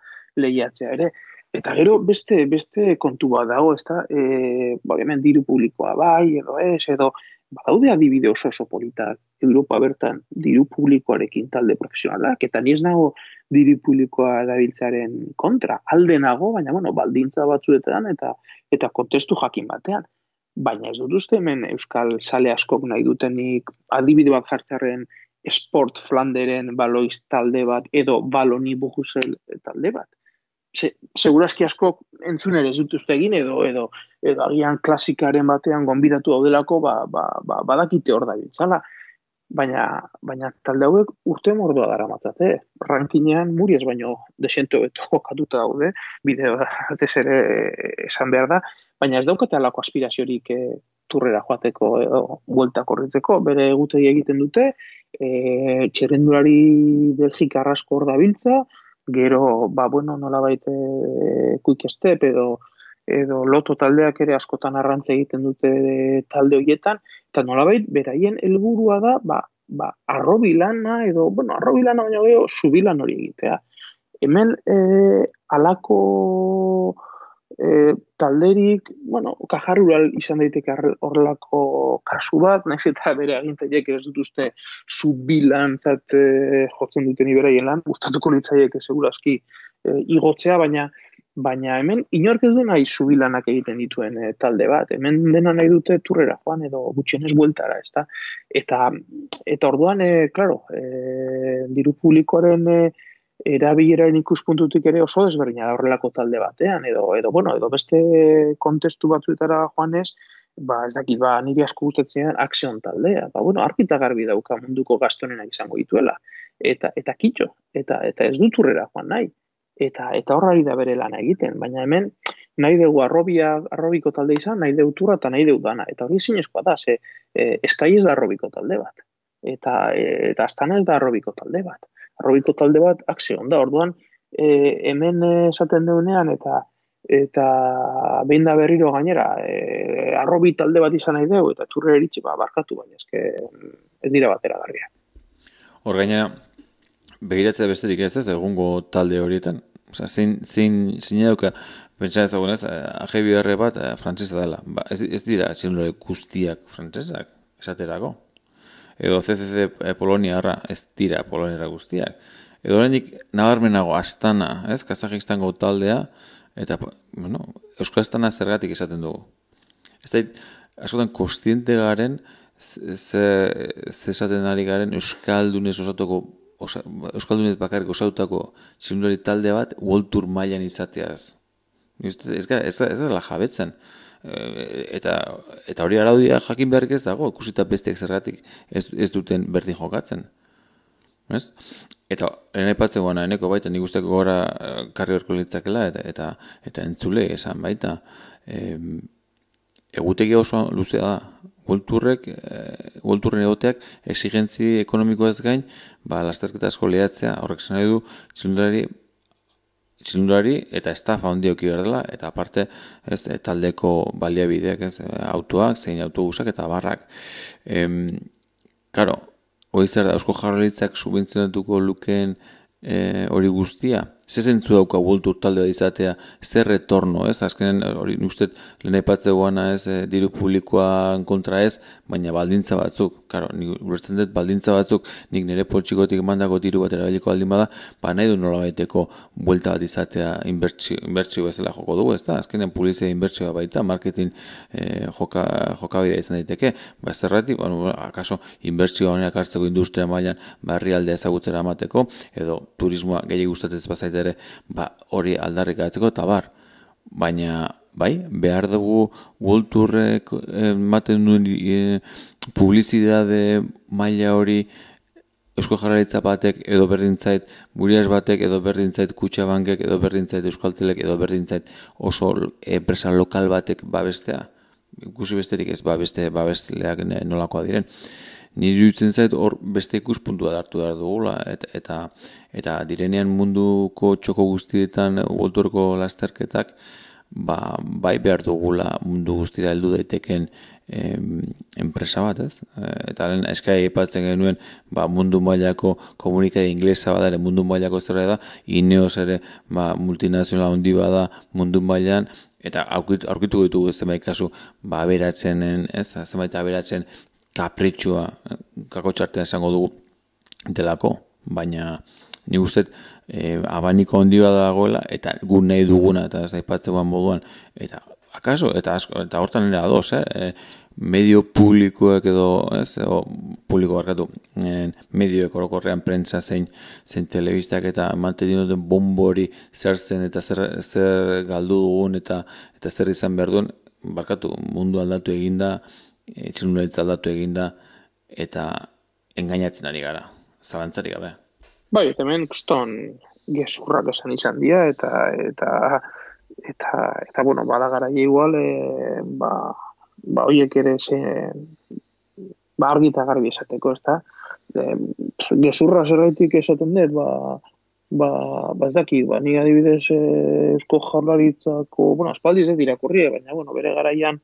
lehiatzea ere. Eta gero beste beste kontu bat dago, ezta? Eh, ba, hemen diru publikoa bai edo ez edo badaude adibide oso oso politak Europa bertan diru publikoarekin talde profesionalak, eta ni ez nago diru publikoa erabiltzearen kontra, alde nago, baina bueno, baldintza batzuetan eta eta kontestu jakin batean. baina ez dut uste hemen euskal sale askok nahi dutenik adibide bat jartzarren Sport Flanderen baloiz talde bat edo baloni bujusel talde bat. Se, segurazki askok entzun ere ez dut uste egin edo edo edo agian klasikaren batean gonbidatu daudelako ba, ba, ba, badakite hor da biltzala. Baina, baina talde hauek urte mordoa dara matzate. Rankinean Muriez baino desente hobeto jokatuta daude, bide batez ere esan behar da, baina ez daukate alako aspiraziorik e, turrera joateko edo buelta korritzeko, bere egutegi egiten dute, e, txerrendulari Belgika arrasko hor da biltza, gero, ba, bueno, nolabait e, Quick Step edo edo loto taldeak ere askotan arrantza egiten dute talde horietan, eta nolabait beraien helburua da, ba, ba, arrobilana edo, bueno, arrobilana baina geho, subilan hori egitea. Hemen eh, alako eh, talderik, bueno, kajarrural izan daiteke horrelako kasu bat, naiz eta bere agintariek ez dut uste subilan zat eh, jotzen duten iberaien lan, gustatuko litzaieke segurazki eh, igotzea, baina Baina hemen inork ez du nahi subilanak egiten dituen e, talde bat. Hemen dena nahi dute turrera joan edo gutxienez bueltara, ezta? Eta eta orduan, e, claro, e, diru publikoaren e, erabileraren ikuspuntutik ere oso desberdina da horrelako talde batean edo edo bueno, edo beste kontestu batzuetara joanez, ba ez dakit, ba niri asko gustatzen Action taldea. Ba bueno, argita garbi dauka munduko gastonenak izango dituela. Eta eta kitxo, eta eta ez du turrera joan nahi. Eta eta horrari da bere lana egiten, baina hemen nahi dugu arrobia, arrobiko talde izan, nahi dugu turra eta nahi dugu dana. Eta hori ezinezkoa da, ze e, eskai ez da arrobiko talde bat. Eta e, eta astana ez da arrobiko talde bat. Arrobiko talde bat Action da, orduan e, hemen esaten duenean eta eta behin da berriro gainera e, arrobi talde bat izan nahi dugu eta turre eritxe ba, barkatu, baina eske ez dira batera garria. Hor gainera, begiratzea besterik ez ez, egungo talde horietan. Osea, zein, zein, zein eduka, pentsa ezagunez, A G B R bat eh, frantzesa dela. Ba, ez, ez dira txirrindulari guztiak frantzesak, esaterako. Edo C C C eh, Poloniarra, ez dira Poloniarra guztiak. Edo oraindik nabarmenago Astana, ez, Kazajistango taldea, eta, bueno, Euskal Astana zergatik esaten dugu. Ez da, askotan kostiente garen, ze esaten ari garen Euskaldunez osatuko Osa, Euskaldunez bakarrik osautako txirrindulari talde bat World Tour mailan izateaz. Ez gara, ez, ez dela jabetzen. E, eta, eta hori araudia jakin beharrik ez dago, ikusita besteak zergatik ez, ez duten berdin jokatzen. Ez? Eta ene patzen guana, eneko baita, nik usteko gora karri horko litzakela eta, eta, eta entzule esan baita. E, egutegi oso luzea da. Golturrek, e, golturren egoteak exigentzi ekonomikoaz gain, ba, lasterketa asko lehatzea, horrek zen nahi du, txirrindulari, txirrindulari eta estafa handi auki behar dela, eta aparte, ez, taldeko baliabideak, ez, autoak, zein autobusak eta barrak. Em, karo, hori zer da, Eusko Jaurlaritzak subentzionatuko lukeen e, hori guztia, ze zentzu dauka World Tour talde bat izatea, zer retorno, ez? Azkenen, hori nustet, lehen aipatze guana, ez, e, diru publikoan kontra ez, baina baldintza batzuk, karo, nik ulertzen dut baldintza batzuk, nik nire poltsikotik emandako diru bat erabiliko baldin bada, ba nahi du nola baiteko buelta bat izatea inbertsio, inbertsio bezala joko dugu, ez da? Azkenen publizia inbertsioa baita, marketing e, joka, jokabidea izan daiteke, ba zerratik, bueno, akaso inbertsio honenak hartzeko industria mailan barrialdea ezagutzera amateko, edo turismoa gehiago gustatez bazaita ere, ba, hori aldarrikatzeko eta bar. Baina, bai, behar dugu World Tourrek ematen duen e, publizitate maila hori Eusko Jaurlaritza batek edo berdintzait Murias batek edo berdintzait Kutxabankek edo berdintzait Euskaltelek edo berdintzait oso enpresa lokal batek babestea. Ikusi besterik ez, ba, beste babesleak nolakoa diren. Nire dutzen zait hor beste ikuspuntua hartu behar dugula eta, eta, eta direnean munduko txoko guztietan Worldtourko lasterketak ba, bai behar dugula mundu guztira heldu daiteken em, enpresa bat, ez? Eta lehen eskai aipatzen genuen ba, mundu mailako komunikade inglesa bada ere mundu mailako zerra da, Ineos ere ba, multinazionala handi bada mundu mailan, eta aurkitu, aurkitu ditugu zenbait kasu ba, aberatzen, ez? Zenbait aberatzen kapritxua, kako txartean esango dugu delako, baina nik uste e, abaniko ondia dagoela, eta gu nahi duguna, eta ez aipatzen moduan, eta akaso, eta asko, eta hortan nire ados, eh? E, medio publikoek edo, ez, o, publiko barkatu, e, medioek orokorrean prentsa zein, zein telebistak eta mantenien duten bombori zer zen eta zer, zer galdu dugun eta eta zer izan behar duen, barkatu, mundu aldatu eginda, etxelunaritza aldatu eginda, eta engainatzen ari gara, zalantzari gabe. Bai, hemen kuston gezurrak esan izan dira, eta, eta, eta, eta bueno, bada gara igual, e, ba, ba, oiek ere ze, ba, argi eta garbi esateko, ez da? E, gezurra zerraitik esaten dut, ba, ba, ba ez daki, ba, ni adibidez e, Eusko Jaurlaritzako, bueno, aspaldi ez irakurri, baina, bueno, bere garaian,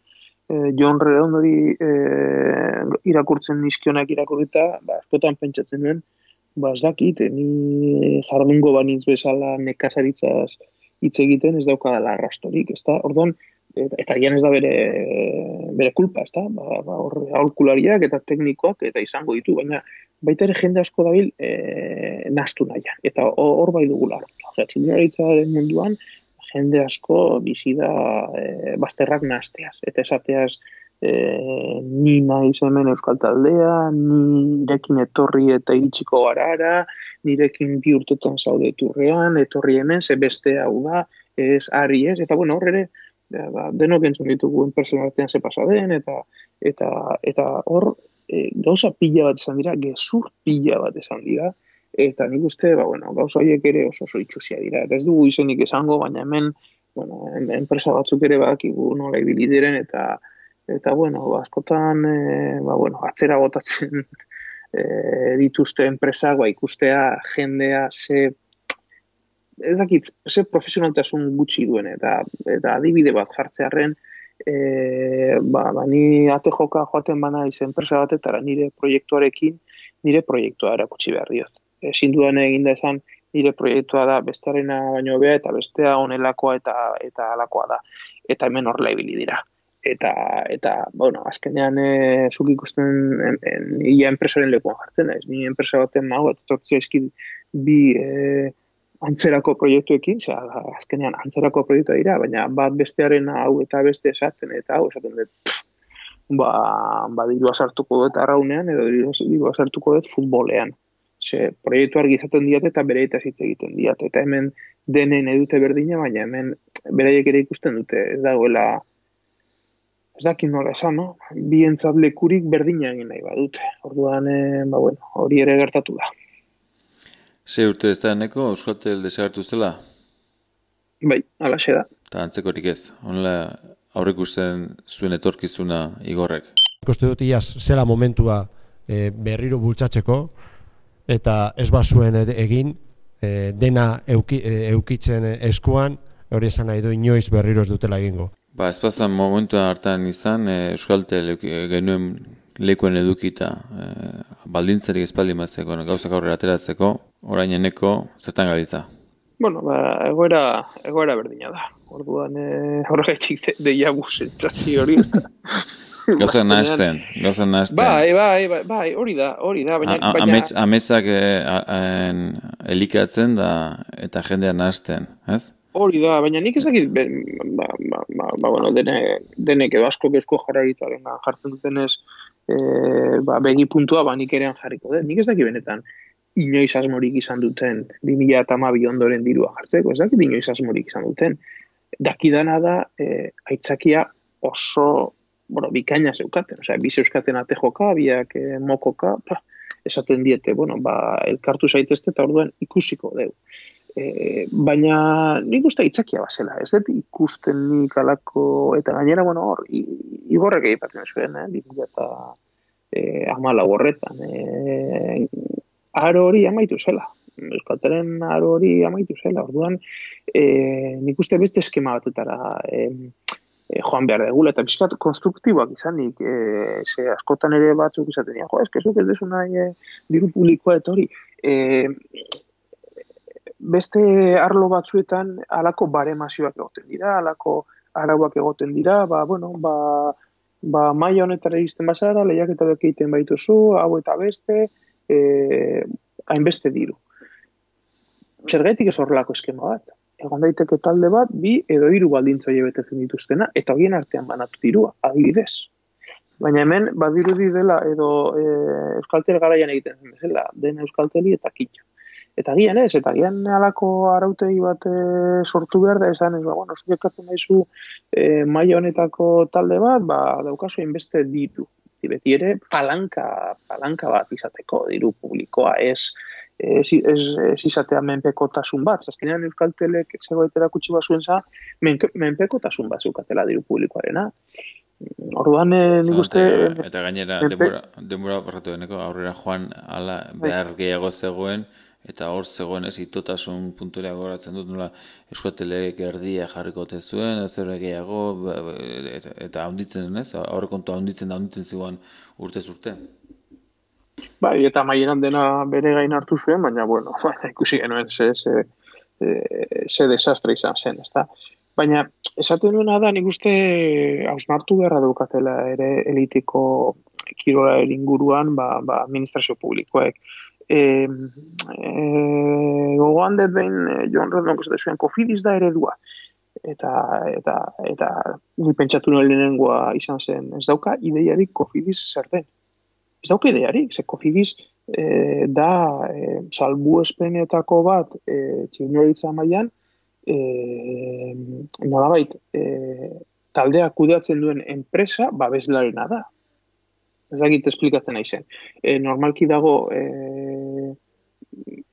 e, Jon Redondori e, irakurtzen nizkionak irakurrita, ba, askotan pentsatzen duen, ba, ez dakit, ni jardungo banitz bezala nekazaritzaz hitz egiten ez daukadala arrastorik, ez da? Orduan, eta, eta gian ez da bere, bere kulpa, ez da? Ba, ba, hor, aholkulariak eta teknikoak eta izango ditu, baina baita ere jende asko dabil e, nahastu nahian, eta hor bai dugula. Osea, txilunaritzaren munduan, jende asko bizi da e, bazterrak nahasteaz, eta esateaz, E, ni naiz hemen euskal taldea, nirekin etorri eta iritsiko garara, nirekin bi urtetan zaude turrean, etorri hemen, ze beste hau da, ez, ari ez, eta bueno, hor ere, ba, denok entzun ditugu enpresen artean ze pasa den, eta eta eta hor e, gauza pila bat esan dira, gezur pila bat esan dira, eta nik uste, ba, bueno, gauza horiek ere oso oso itxusia dira, eta ez dugu izenik esango, baina hemen, bueno, enpresa batzuk ere badakigu nola ibili diren, eta Eta, bueno, askotan, e, ba, bueno, atzera botatzen e, dituzte enpresak, ba, ikustea jendea ze, ez dakit, ze profesionaltasun gutxi duen, eta, eta adibide bat jartzearren, e, ba, ba, ni ate joka joaten bana izen enpresa batetara nire proiektuarekin, nire proiektua erakutsi behar diot. Ezin dudan eginda esan, nire proiektua da bestarena baino bea, eta bestea onelakoa eta, eta alakoa da. Eta hemen horrela ibili dira. Eta, eta, bueno, azkenean e, zuk ikusten en, en, ia enpresaren lekuan jartzen naiz. Ni enpresa baten nago, eta tortzia izkin bi e, antzerako proiektuekin, osea, azkenean antzerako proiektua dira, baina bat bestearen hau eta beste esaten, eta hau esaten dut, pff, ba, ba dirua sartuko dut arraunean, edo dirua sartuko dut futbolean. Ze, proiektu argi izaten diat eta bereitaz hitz egiten diat. Eta hemen denen edute berdina, baina hemen beraiek ere ikusten dute, ez dagoela, ez dakit nola esan, no? Bientzat lekurik berdina egin nahi badute. Orduan, e, ba, bueno, hori ere gertatu da. Ze urte ez da eneko, Euskaltel desagertu zela? Bai, alaxe da. Eta antzekorik ez, honela aurrikusten zuen etorkizuna Igorrek. Ikuste dut iaz zela momentua e, berriro bultzatzeko, eta ez bazuen egin, e, dena euki, e, eukitzen eskuan, hori esan nahi du inoiz berriro ez dutela egingo. Ba, ez pastan momentuan hartan izan, e, Euskaltel genuen lekuen edukita, e, baldintzarik espaldi mazeko, gauzak aurrera ateratzeko, orain eneko, zertan gabiltza? Bueno, ba, egoera, egoera berdina da. Orduan, e, horregatik deia busentzazio hori eta... Gauzak nahazten, gauzak nahazten. Bai, bai, bai, bai, hori da, hori da, baina... baina... Amets, ametsak e, elikatzen da eta jendea nahazten, ez? Hori da, baina nik ez dakit, ba, ba, ba, ba, bueno, dene, denek edo asko Eusko Jaurlaritzaren jartzen dutenez, e, ba, begi puntua, ba, nik erean jarriko dut. Nik ez dakit benetan, inoiz asmorik izan duten, bi mila hamabi ondoren dirua jartzeko, ez dakit inoiz asmorik izan duten. Dakidana da, e, aitzakia oso, bueno, bikaina zeukaten, osea, bi zeuskaten ate joka, biak e, mokoka, pa, esaten diete, bueno, ba, elkartu zaitezte eta orduan ikusiko deu. E, baina nik uste itzakia bazela, ez dut ikusten nik alako, eta gainera, bueno, hor, Igorrek egipatzen zuen, eh, bi mila hamalau horretan, e, aro hori amaitu zela, Euskaltelen aro hori amaitu zela, orduan, e, nik uste beste eskema batetara e, e, joan behar degula, eta bizkat konstruktiboak izanik, e, ze askotan ere batzuk izaten dira, jo, ez kezuk ez desu nahi e, diru publikoa eta hori, e, beste arlo batzuetan halako baremazioak egoten dira, halako arauak egoten dira, ba, bueno, ba, ba maila honetara iristen bazara, lehiaketak egiten baituzu, hau eta beste, e, hainbeste diru. Zergatik ez horrelako eskema bat? egon daiteke talde bat, bi edo hiru baldintza horiek betetzen dituztena, eta horien artean banatu dirua, adibidez. Baina hemen badirudi dela edo e, Euskaltel garaian egiten zen bezala, den Euskalteli eta Kitxo. Eta gian ez, eta gian halako arautegi bat e, sortu behar da esan, ez, ba, bueno, zuekatzen daizu e, maila honetako talde bat, ba, daukazu inbeste ditu. Beti ere, palanka, palanka bat izateko, diru publikoa, ez, ez, ez, ez izatea menpekotasun bat. Azkenean Euskaltelek zegoetera kutsi bazuen za, menpekotasun bat zeukatela diru publikoarena. Orduan, eh, nik uste... Eta gainera, denbora, denbora barratu deneko, aurrera joan ala behar gehiago zegoen, eta hor zegoen ez itotasun punturea goratzen dut, nola Euskaltelek erdia jarriko tezuen, ez ere gehiago, eta, eta haunditzen, ez? Aurrekontu haunditzen da haunditzen zigoan urtez urte. Bai, eta maieran dena bere gain hartu zuen, baina, bueno, ikusi genuen ze, ze, ze desastre izan zen, ez da? Baina, esaten duena da, nik uste hausnartu beharra daukatela ere elitiko kirola inguruan, ba, ba, administrazio publikoek. E, e, gogoan dut behin, Joan Rodonok esate zuen, Cofidis da eredua. Eta, eta, eta, ni pentsatu nuen lehenengoa izan zen, ez dauka ideiarik Cofidis zer den. Ez dauka ideiarik, ze Cofidis e, da e, salbuespenetako bat e, txirnoritza mailan, E, nolabait e, taldea kudeatzen duen enpresa babeslarena da. Ez dakit esplikatzen nahi zen. E, normalki dago e,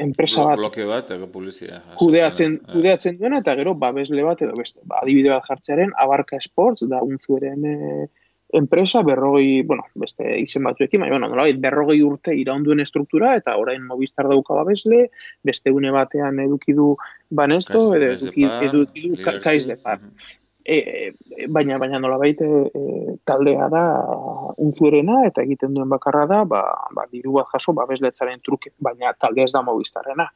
enpresa bat, bloke bat publizia, kudeatzen, kudeatzen duena eta gero babesle bat edo beste. Ba, adibide bat jartzearen Abarka Sports da unzueren e, enpresa berrogei, bueno, beste izen batzuekin, baina, bueno, nolabait, berrogei urte iraunduen estruktura, eta orain Movistar dauka babesle, beste une batean eduki du Banesto, edo eduki, eduki du Kaiz de Par. E, e, baina, baina nolabait, e, e, taldea da untzuerena, eta egiten duen bakarra da, ba, ba diru bat jaso babesletzaren truke, baina taldea ez da Movistarrena.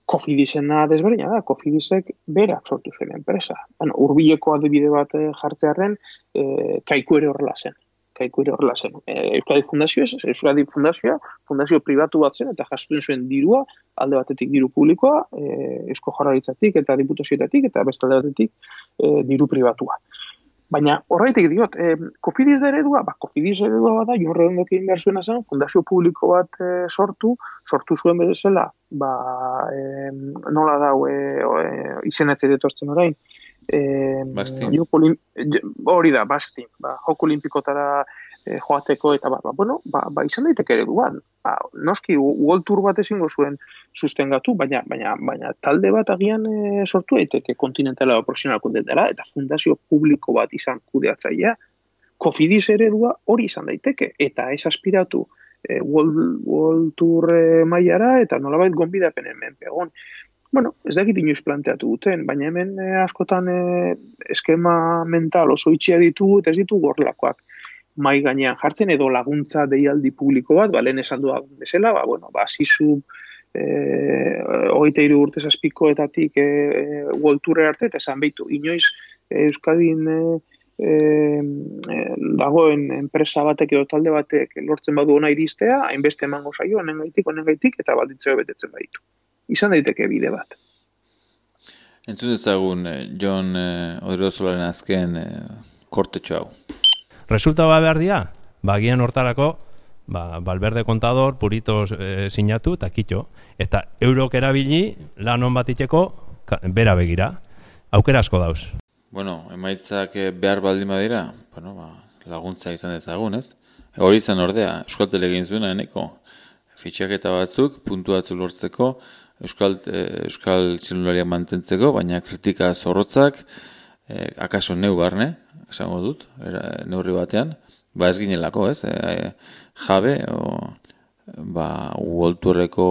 Cofidisena desberdina da, Cofidisek berak sortu zen enpresa. Bueno, urbileko adibide bat jartzearen, e, Kaiku ere horrela zen. Kaiku ere horrela zen. E, Euskadi Fundazio ez, Euskadi Fundazioa, fundazio pribatu bat zen, eta jastuen zuen dirua, alde batetik diru publikoa, e, Eusko Jaurlaritzatik eta diputazioetatik, eta beste alde batetik e, diru pribatua. Baina horreitik diot, eh, Cofidis da eredua, ba, Cofidis eredua bada, Jon Redondok egin behar zuena zen, fundazio publiko bat eh, sortu, sortu zuen bezala, ba, eh, nola dau, eh, eh, izenetze detortzen orain, eh, hori da, Bastin, ba, joko olimpikotara eh, joateko, eta ba, ba, bueno, ba, ba, izan daiteke ereduan. Ba, noski, World Tour bat ezingo zuen sustengatu, baina, baina, baina talde bat agian e, sortu daiteke kontinentala o profesional kontinentala, eta fundazio publiko bat izan kudeatzailea, Cofidis eredua hori izan daiteke, eta ez aspiratu e, World, World Tour e, mailara, eta nolabait gonbidapenen menpegon. Bueno, ez dakit inoiz planteatu duten, baina hemen e, askotan e, eskema mental oso itxia ditu, eta ez ditu gorlakoak mai gainean jartzen, edo laguntza deialdi publiko bat, ba, lehen esan duak bezala, ba, bueno, ba, zizu eh, hogeita hiru urte zazpikoetatik eh, World Tourera arte, eta esan behitu, inoiz eh, Euskadin eh, eh, dagoen enpresa batek edo talde batek lortzen badu ona iristea, hainbeste emango zaio, honen gaitik, honen gaitik, eta baldintzeo betetzen baditu. Izan daiteke bide bat. Entzun ezagun, Jon eh, Odriosolaren azken eh, kortetxo hau. Resulta ba behar dira, bagian hortarako, ba, Valverde kontador, puritos e, sinatu eta kitxo. Eta eurok erabili lan hon bat iteko, bera begira. Aukera asko dauz. Bueno, emaitzak behar baldin badira, bueno, ba, laguntza izan ezagun, ez? Hori izan ordea, Euskaltel egin zuena eneko. Fitxaketa batzuk, puntu batzu lortzeko, Euskal, e, Euskal txilunariak mantentzeko, baina kritika zorrotzak, e, akaso neu barne, esango dut, era, neurri batean, ba ez ginelako, ez? E, jabe, o, ba, uolturreko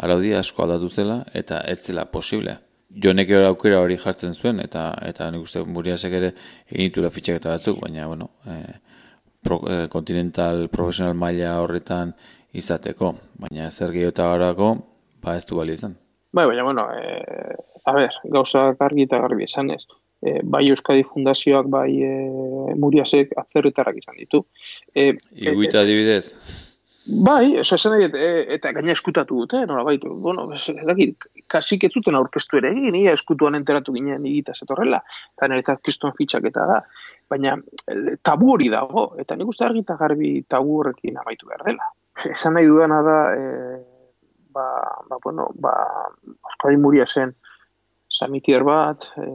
araudia asko aldatu zela, eta ez zela posible. Jonek aukera hori jartzen zuen, eta eta nik uste Muriasek ere egin ditula fitxaketa batzuk, baina, bueno, e, pro, e, kontinental profesional maila horretan izateko, baina zer gehiago eta garako, ba ez du bali izan. Bai, baina, bueno, e, a ber, gauza gargi eta garbi esan ez. E, bai Euskadi Fundazioak, bai e, Muriasek atzerritarrak izan ditu. E, Iguita adibidez? Bai, eso esan nahi, eta gaina eskutatu dute, nola baitu, bueno, kasik ez zuten aurkeztu ere egin, ia eskutuan enteratu ginen egitaz etorrela, eta niretzat kriston fitxaketa da, baina tabu hori dago, eta nik uste argi eta garbi tabu horrekin amaitu behar dela. Esan nahi dudana da, e, ba, ba, bueno, ba, Euskadi Muria zen, Samitier bat, e,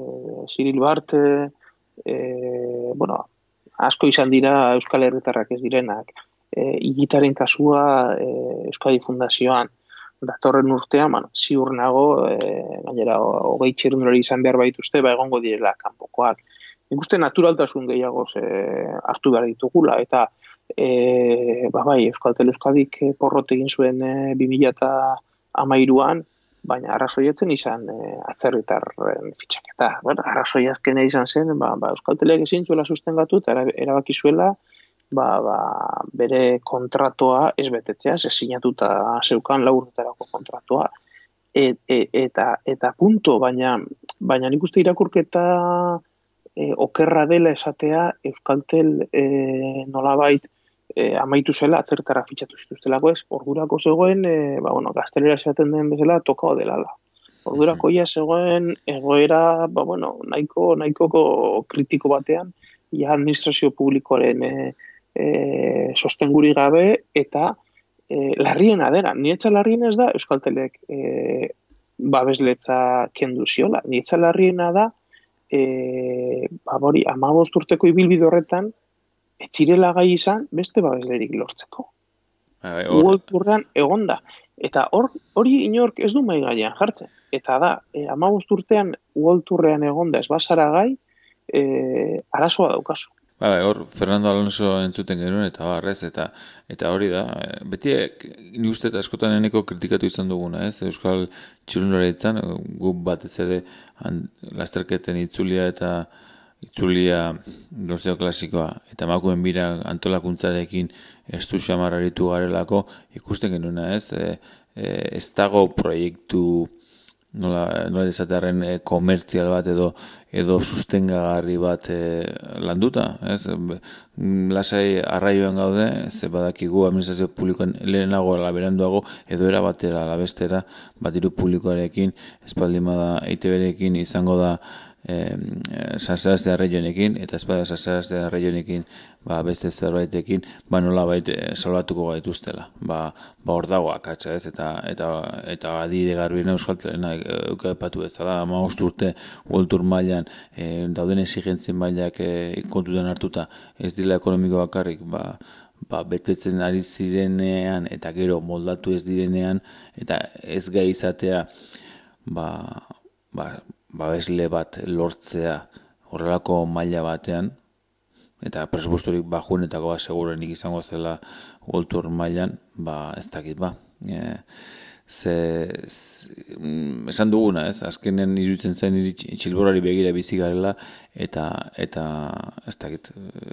Cyril Barte, e, bueno, asko izan dira Euskal Herritarrak ez direnak, E, igitaren kasua e, Euskadi Fundazioan datorren urtean, bueno, ziur nago, e, gainera hogei txirrindulari izan behar baituzte, ba egongo direla kanpokoak. Nik uste naturaltasun gehiagoz e, hartu behar ditugula, eta e, ba bai, Euskaltel Euskadik porrot egin zuen e, bi mila hamairuan, baina arrazoietzen izan e, atzerritarren fitxaketa. Bueno, arrazoiazkena izan zen, ba, ba Euskaltelek ezin zuela sustengatu, eta erabaki zuela, Ba, ba, bere kontratoa ez betetzea, ez sinatuta zeukan lau urtetarako kontratoa. E, e, eta, eta punto, baina, baina nik uste irakurketa e, okerra dela esatea Euskaltel e, nolabait e, amaitu zela, atzertara fitxatu zituztelako ez, ordurako zegoen, e, ba, bueno, gaztelera esaten den bezala, tokao delala. Ordurako ja zegoen egoera, ba, bueno, nahiko, nahikoko kritiko batean, ja administrazio publikoaren e, E, sostenguri gabe eta e, larrien adera. Nietza larrien ez da Euskaltelek e, babesletza kendu ziola. Nietza larriena da e, babori, hamabost urteko ibilbide horretan etxirela gai izan beste babeslerik lortzeko. Uolturrean egonda. Eta hor, hori inork ez du mai gaian jartzen. Eta da, e, hamabost urtean uolturrean egonda ez basara gai, e, arazoa daukazu. Ba, hor, Fernando Alonso entzuten genuen, eta barrez, eta eta hori da, beti ni uste eta askotan eneko kritikatu izan duguna, ez? Euskal txirrindulari itzan, gu batez ere lasterketen itzulia eta itzulia lortzeko klasikoa, eta emakumeen bira antolakuntzarekin estu xamarraritu garelako, ikusten genuena, ez? E, e, ez dago proiektu nola, nola desatearen e, komertzial bat edo edo sustengagarri bat e, landuta, ez? Lasai arraioan gaude, ze badakigu administrazio publikoen lehenago ala beranduago edo era batera ala bestera batiru publikoarekin, espaldimada E I T B-rekin izango da eh, Sasarazte Arraionekin, eta espada Sasarazte Arraionekin ba, beste zerbaitekin, ba nola baita salbatuko gaituztela. Ba, ba hor dago akatsa, ez, eta eta eta adide garbina Euskaltelena eukapatu ez da, hamabost urte World Tour mailan e, dauden exigentzien mailak e, kontutan hartuta, ez dira ekonomiko bakarrik, ba, ba, betetzen ari zirenean eta gero moldatu ez direnean eta ez gai izatea ba, ba, babesle bat lortzea horrelako maila batean eta presupuestorik bajuenetako bat segurenik izango zela World Tour mailan, ba ez dakit ba. E, ze, ze esan duguna, ez? Azkenen iruditzen zen txilborari begira bizi garela eta eta ez dakit,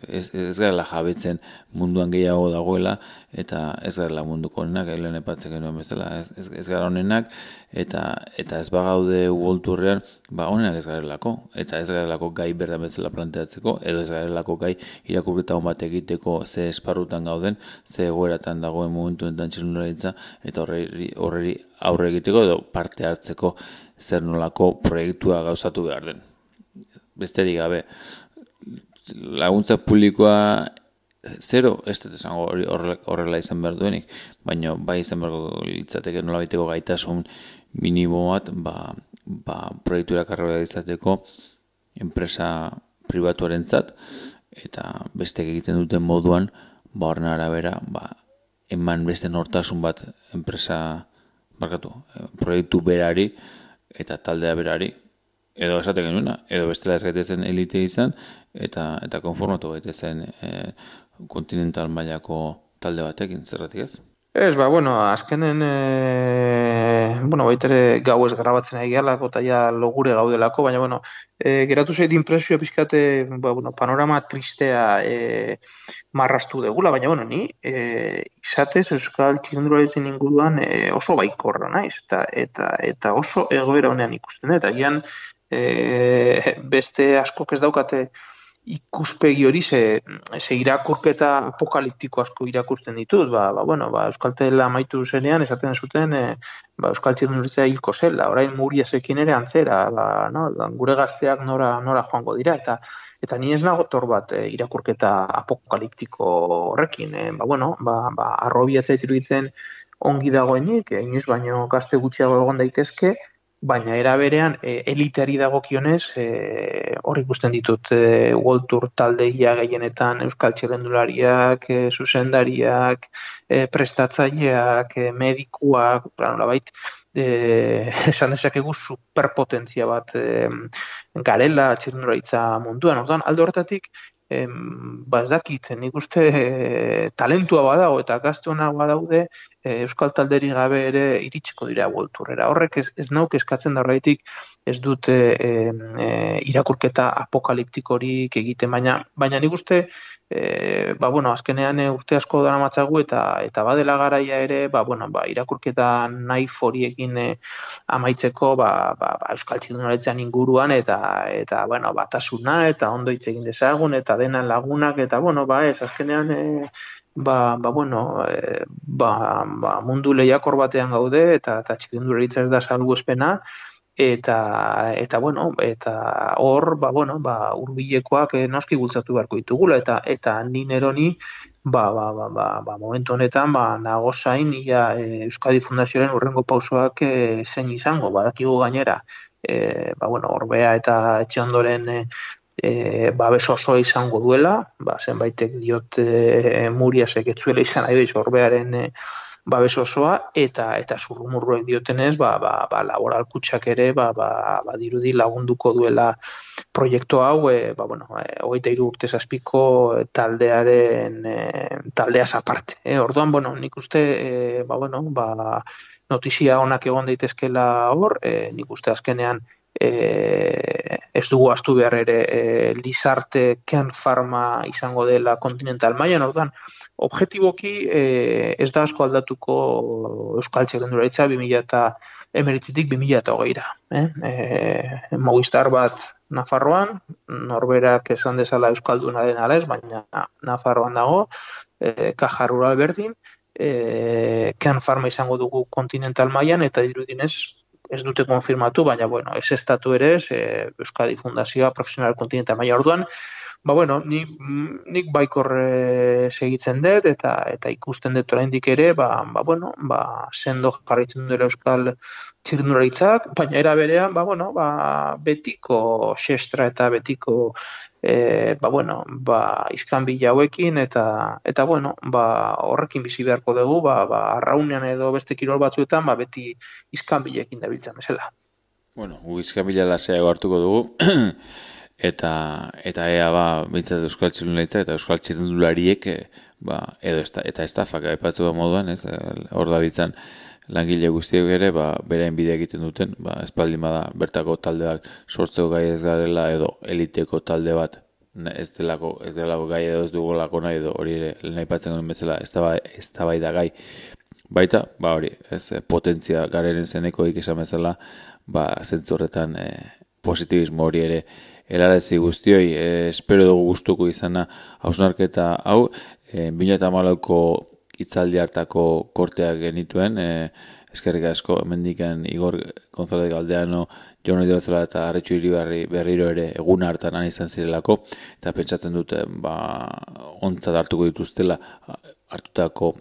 ez, ez garela jabetzen munduan gehiago dagoela eta ez garela munduko honenak, lehen epatzen genuen bezala, ez, ez, ez gara honenak eta eta ez bagaude World Tourrean, ba honenak ez garelako eta ez garelako gai berdan bezala planteatzeko edo ez garelako gai irakurketa hon bat egiteko ze esparrutan gauden, ze egoeratan dagoen momentu enten txirrindularitza eta horri, horri aurre egiteko edo parte hartzeko zer nolako proiektua gauzatu behar den. Besterik gabe, laguntza publikoa zero, ez dut esango horrela izan behar duenik, baina bai izan behar litzateke nola baiteko gaitasun minimo bat, ba, ba proiektura karrera izateko enpresa pribatuarentzat eta beste egiten duten moduan, ba horren arabera, ba, eman beste nortasun bat enpresa barkatu, proiektu berari eta taldea berari, edo esaten genuena, edo bestela ez gaitezen elite izan, eta eta konformatu gaitezen e, kontinental mailako talde batekin, zerratik ez? Ez, ba, bueno, azkenen, e, bueno, baitere gau ez grabatzen ari gehalako, eta ja logure gaudelako, baina, bueno, e, geratu zait impresioa pizkate, ba, bueno, panorama tristea e, marrastu degula, baina, bueno, ni, e, izatez, Euskal txirrindularitzen inguruan e, oso baikorra naiz, eta, eta, eta oso egoera honean ikusten, eta gian, e, beste askok ez daukate ikuspegi hori ze, ze irakurketa apokaliptiko asko irakurtzen ditut, ba, ba, bueno, ba, Euskaltela amaitu zenean esaten zuten e, ba, Euskal Txirrindularitza hilko zela, orain Muriesekin ere antzera, ba, no, gure gazteak nora, nora joango dira, eta eta ni ez nago tor bat e, irakurketa apokaliptiko horrekin, e, ba, bueno, ba, ba, arrobiatzea iruditzen ongi dagoenik, e, inoiz baino gazte gutxiago egon daitezke, baina era berean e, eliteari dagokionez e, hor ikusten ditut e, World Tour taldeia gehienetan Euskal Txirrindulariak, e, zuzendariak, e, prestatzaileak, e, medikuak, nolabait e, esan dezakegu superpotentzia bat e, garela txirrindularitza munduan. Orduan, alde horretatik em, ba ez dakit, nik uste e, talentua badago eta gaztuenak badaude e, Euskal talderi gabe ere iritsiko dira World Tourera. Horrek ez, ez nauk eskatzen da horretik ez dute e, e, irakurketa apokaliptikorik egiten, baina, baina nik uste e, ba, bueno, azkenean e, urte asko dara matzagu eta eta badela garaia ere ba, bueno, ba, irakurketa nahi foriekin e, amaitzeko ba, ba, ba, Euskal Txirrindularitzan inguruan eta eta bueno, batasuna eta ondo hitz egin dezagun eta denan lagunak eta bueno, ba ez azkenean e, ba, ba bueno, e, ba, ba mundu lehiakor batean gaude eta eta txirrindularitza ez da salbuespena eta eta bueno, eta hor ba bueno, ba hurbilekoak e, noski bultzatu beharko ditugula eta eta ni neroni ba, ba, ba, ba, ba momentu honetan ba nago zain ia e, Euskadi Fundazioaren hurrengo pausoak e, zein izango, badakigu gainera e, ba bueno, Orbea eta etxe ondoren e, E, babes osoa izango duela, ba, zenbaitek diot e, Muriasek etzuela izan nahi behiz Orbearen e, babes osoa, eta eta zurrumurruek diotenez, ba, ba, ba, laboral kutxak ere, ba, ba, ba, dirudi lagunduko duela proiektu hau, e, ba, bueno, e, hogeita hiru urte zazpiko taldearen e, taldeaz aparte. E, orduan, bueno, nik uste, e, ba, bueno, ba, notizia onak egon daitezkela hor, e, nik uste azkenean E, ez dugu astu behar ere e, Lizarte Ken Pharma izango dela kontinental mailan, orduan objetiboki e, ez da asko aldatuko Euskal Txirrindularitza bi mila hemeretzitik bi mila hogeira. Eh? E, Movistar bat Nafarroan, norberak esan dezala Euskalduna den ala ez, baina Nafarroan dago, e, Caja Rural berdin, e, Ken Pharma izango dugu kontinental mailan eta dirudinez ez dute konfirmatu, baina, bueno, ez estatu ere, ez, e, Euskadi Fundazioa Profesional Kontinental maila orduan, ba, bueno, nik, nik baikor e, segitzen dut, eta eta ikusten dut oraindik ere, ba, ba, bueno, ba, sendo jarraitzen dut Euskal Txirrindularitzak, baina era berean, ba, bueno, ba, betiko xestra eta betiko E, ba, bueno, ba, iskanbila hauekin eta, eta bueno, ba, horrekin bizi beharko dugu, ba, ba, arraunean edo beste kirol batzuetan, ba, beti iskanbilekin dabiltzen bezala. Bueno, gu iskanbila laseago hartuko dugu, eta eta ea, ba, bintzat Euskal Txirrindularitza eta Euskal Txirrindulariek, ba, edo esta, eta estafak aipatzu moduan, ez, hor da bitzan, langile guztiek ere, ba, berain bidea egiten duten, ba, espaldin bada bertako taldeak sortzeko gai ez garela edo eliteko talde bat ez delako, ez delako gai edo ez dugolako nahi edo hori ere nahi patzen genuen bezala ez da bai da gai. Baita, ba hori, ez potentzia gareren zenekoik esan bezala, ba, zentzu horretan e, positibismo hori ere helarazi guztioi, e, espero dugu gustuko izana hausnarketa hau, e, bi mila hamalauko hitzaldi hartako korteak genituen, e, eskerrik asko mendikan Igor González Galdeano, Jon Oidozela eta Arretxu Iribarri berriro ere egun hartan han izan zirelako, eta pentsatzen dute ba, ontzat hartuko dituztela hartutako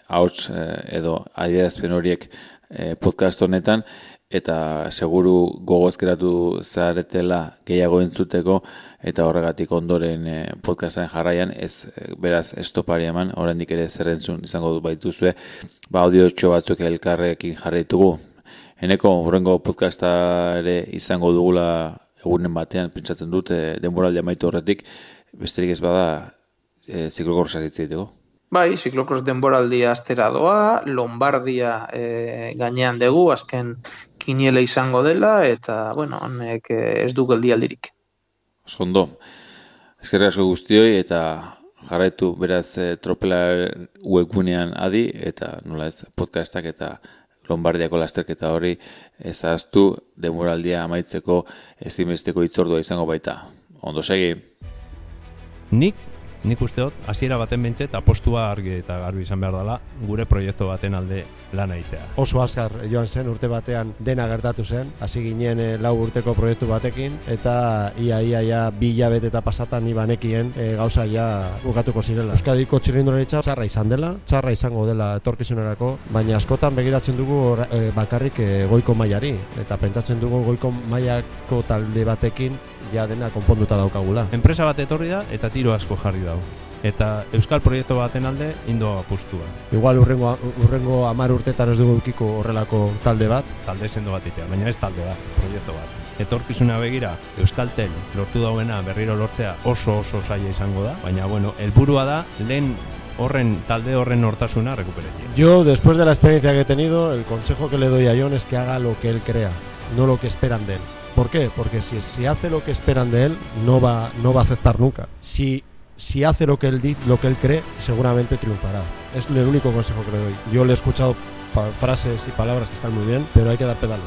ahots e, edo adierazpen horiek e, podcast honetan, eta seguru gogoezkeratu zaretela gehiago entzuteko eta horregatik ondoren e, podcastaren jarraian ez e, beraz estopari eman, oraindik ere zerrentzun izango du baituzue, ba audiotxo batzuk elkarrekin jarraitugu. Eneko horrengo podcasta ere izango dugula egunen batean, pentsatzen dut, e, denboraldi amaitu horretik, besterik ez bada e, ziklokorsak hitzeiteko. Bai, ziklokros denboraldia astera doa, Lombardia e, gainean dugu, azken kiniele izango dela, eta, bueno, honek ez du geldialdirik. Ondo, eskerrik asko guztioi, eta jarraitu beraz e, Tropela webgunean adi, eta nola ez podcastak eta Lombardiako lasterketa hori ezaztu denboraldia amaitzeko ezinbesteko hitzordua izango baita. Ondo segi! nik nik uste dut hasiera baten behintzet apostua argi eta garbi izan behar dela gure proiektu baten alde lan egitea. Oso azkar joan zen, urte batean dena gertatu zen, hasi ginen e, lau urteko proiektu batekin, eta ia ia ia bi hilabete eta pasatan ni banekien e, gauza ja bukatuko zirela. Euskadiko txirrindularitza txarra izan dela, txarra izango dela etorkizunerako, baina askotan begiratzen dugu or, e, bakarrik e, goiko mailari, eta pentsatzen dugu goiko mailako talde batekin ja dena konponduta daukagula. Enpresa bat etorri da eta tiro asko jarri dau. Eta euskal proiektu baten alde indo apustua. Igual urrengo urrengo hamar urtetan ez dugu edukiko horrelako talde bat, talde sendo bat itea, baina ez talde bat, proiektu bat. Etorkizuna begira, Euskaltel lortu dauena berriro lortzea oso oso zaila izango da, baina bueno, helburua da lehen horren talde horren hortasuna recuperación. Yo, después de la experiencia que he tenido, el consejo que le doy a Jon es que haga lo que él crea, no lo que esperan de él. ¿Por qué? Porque si, si hace lo que esperan de él, no va, no va a aceptar nunca. Si, si hace lo que él dice, lo que él cree, seguramente triunfará. Es el único consejo que le doy. Yo le he escuchado frases y palabras que están muy bien, pero hay que dar pedales.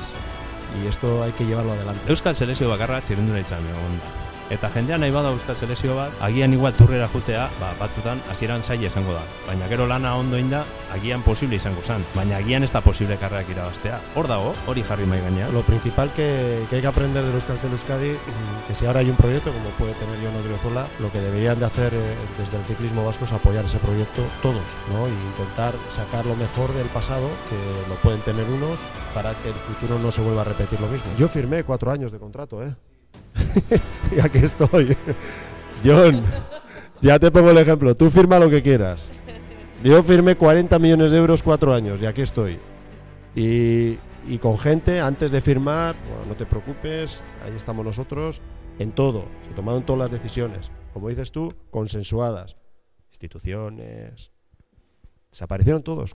Y esto hay que llevarlo adelante. Euskal selekzio bakarra txirrindularitzan egon da. Eta jendea nahi bada euskal selekzio bat, agian igual turrera jutea, ba, batzutan hasieran zaila izango da. Baina gero lana ondo inda, agian posible izango zen. Baina agian ez da posible karrerak irabaztea. Hor dago, hori jarri mai gainean. Lo principal que, que hay que aprender del Euskaltel Euskadi, que si ahora hay un proyecto, como puede tener Jon Odriozola, lo que deberían de hacer eh, desde el ciclismo vasco es apoyar ese proyecto todos, ¿no? Y intentar sacar lo mejor del pasado, que lo pueden tener unos, para que el futuro no se vuelva a repetir lo mismo. Yo firmé cuatro años de contrato, ¿eh? Y aquí estoy. Jon, ya te pongo el ejemplo. Tú firma lo que quieras. Yo firmé cuarenta millones de euros cuatro años y aquí estoy. Y, y con gente, antes de firmar, bueno, no te preocupes, ahí estamos nosotros, en todo. Se tomaron todas las decisiones, como dices tú, consensuadas. Instituciones. Desaparecieron todos.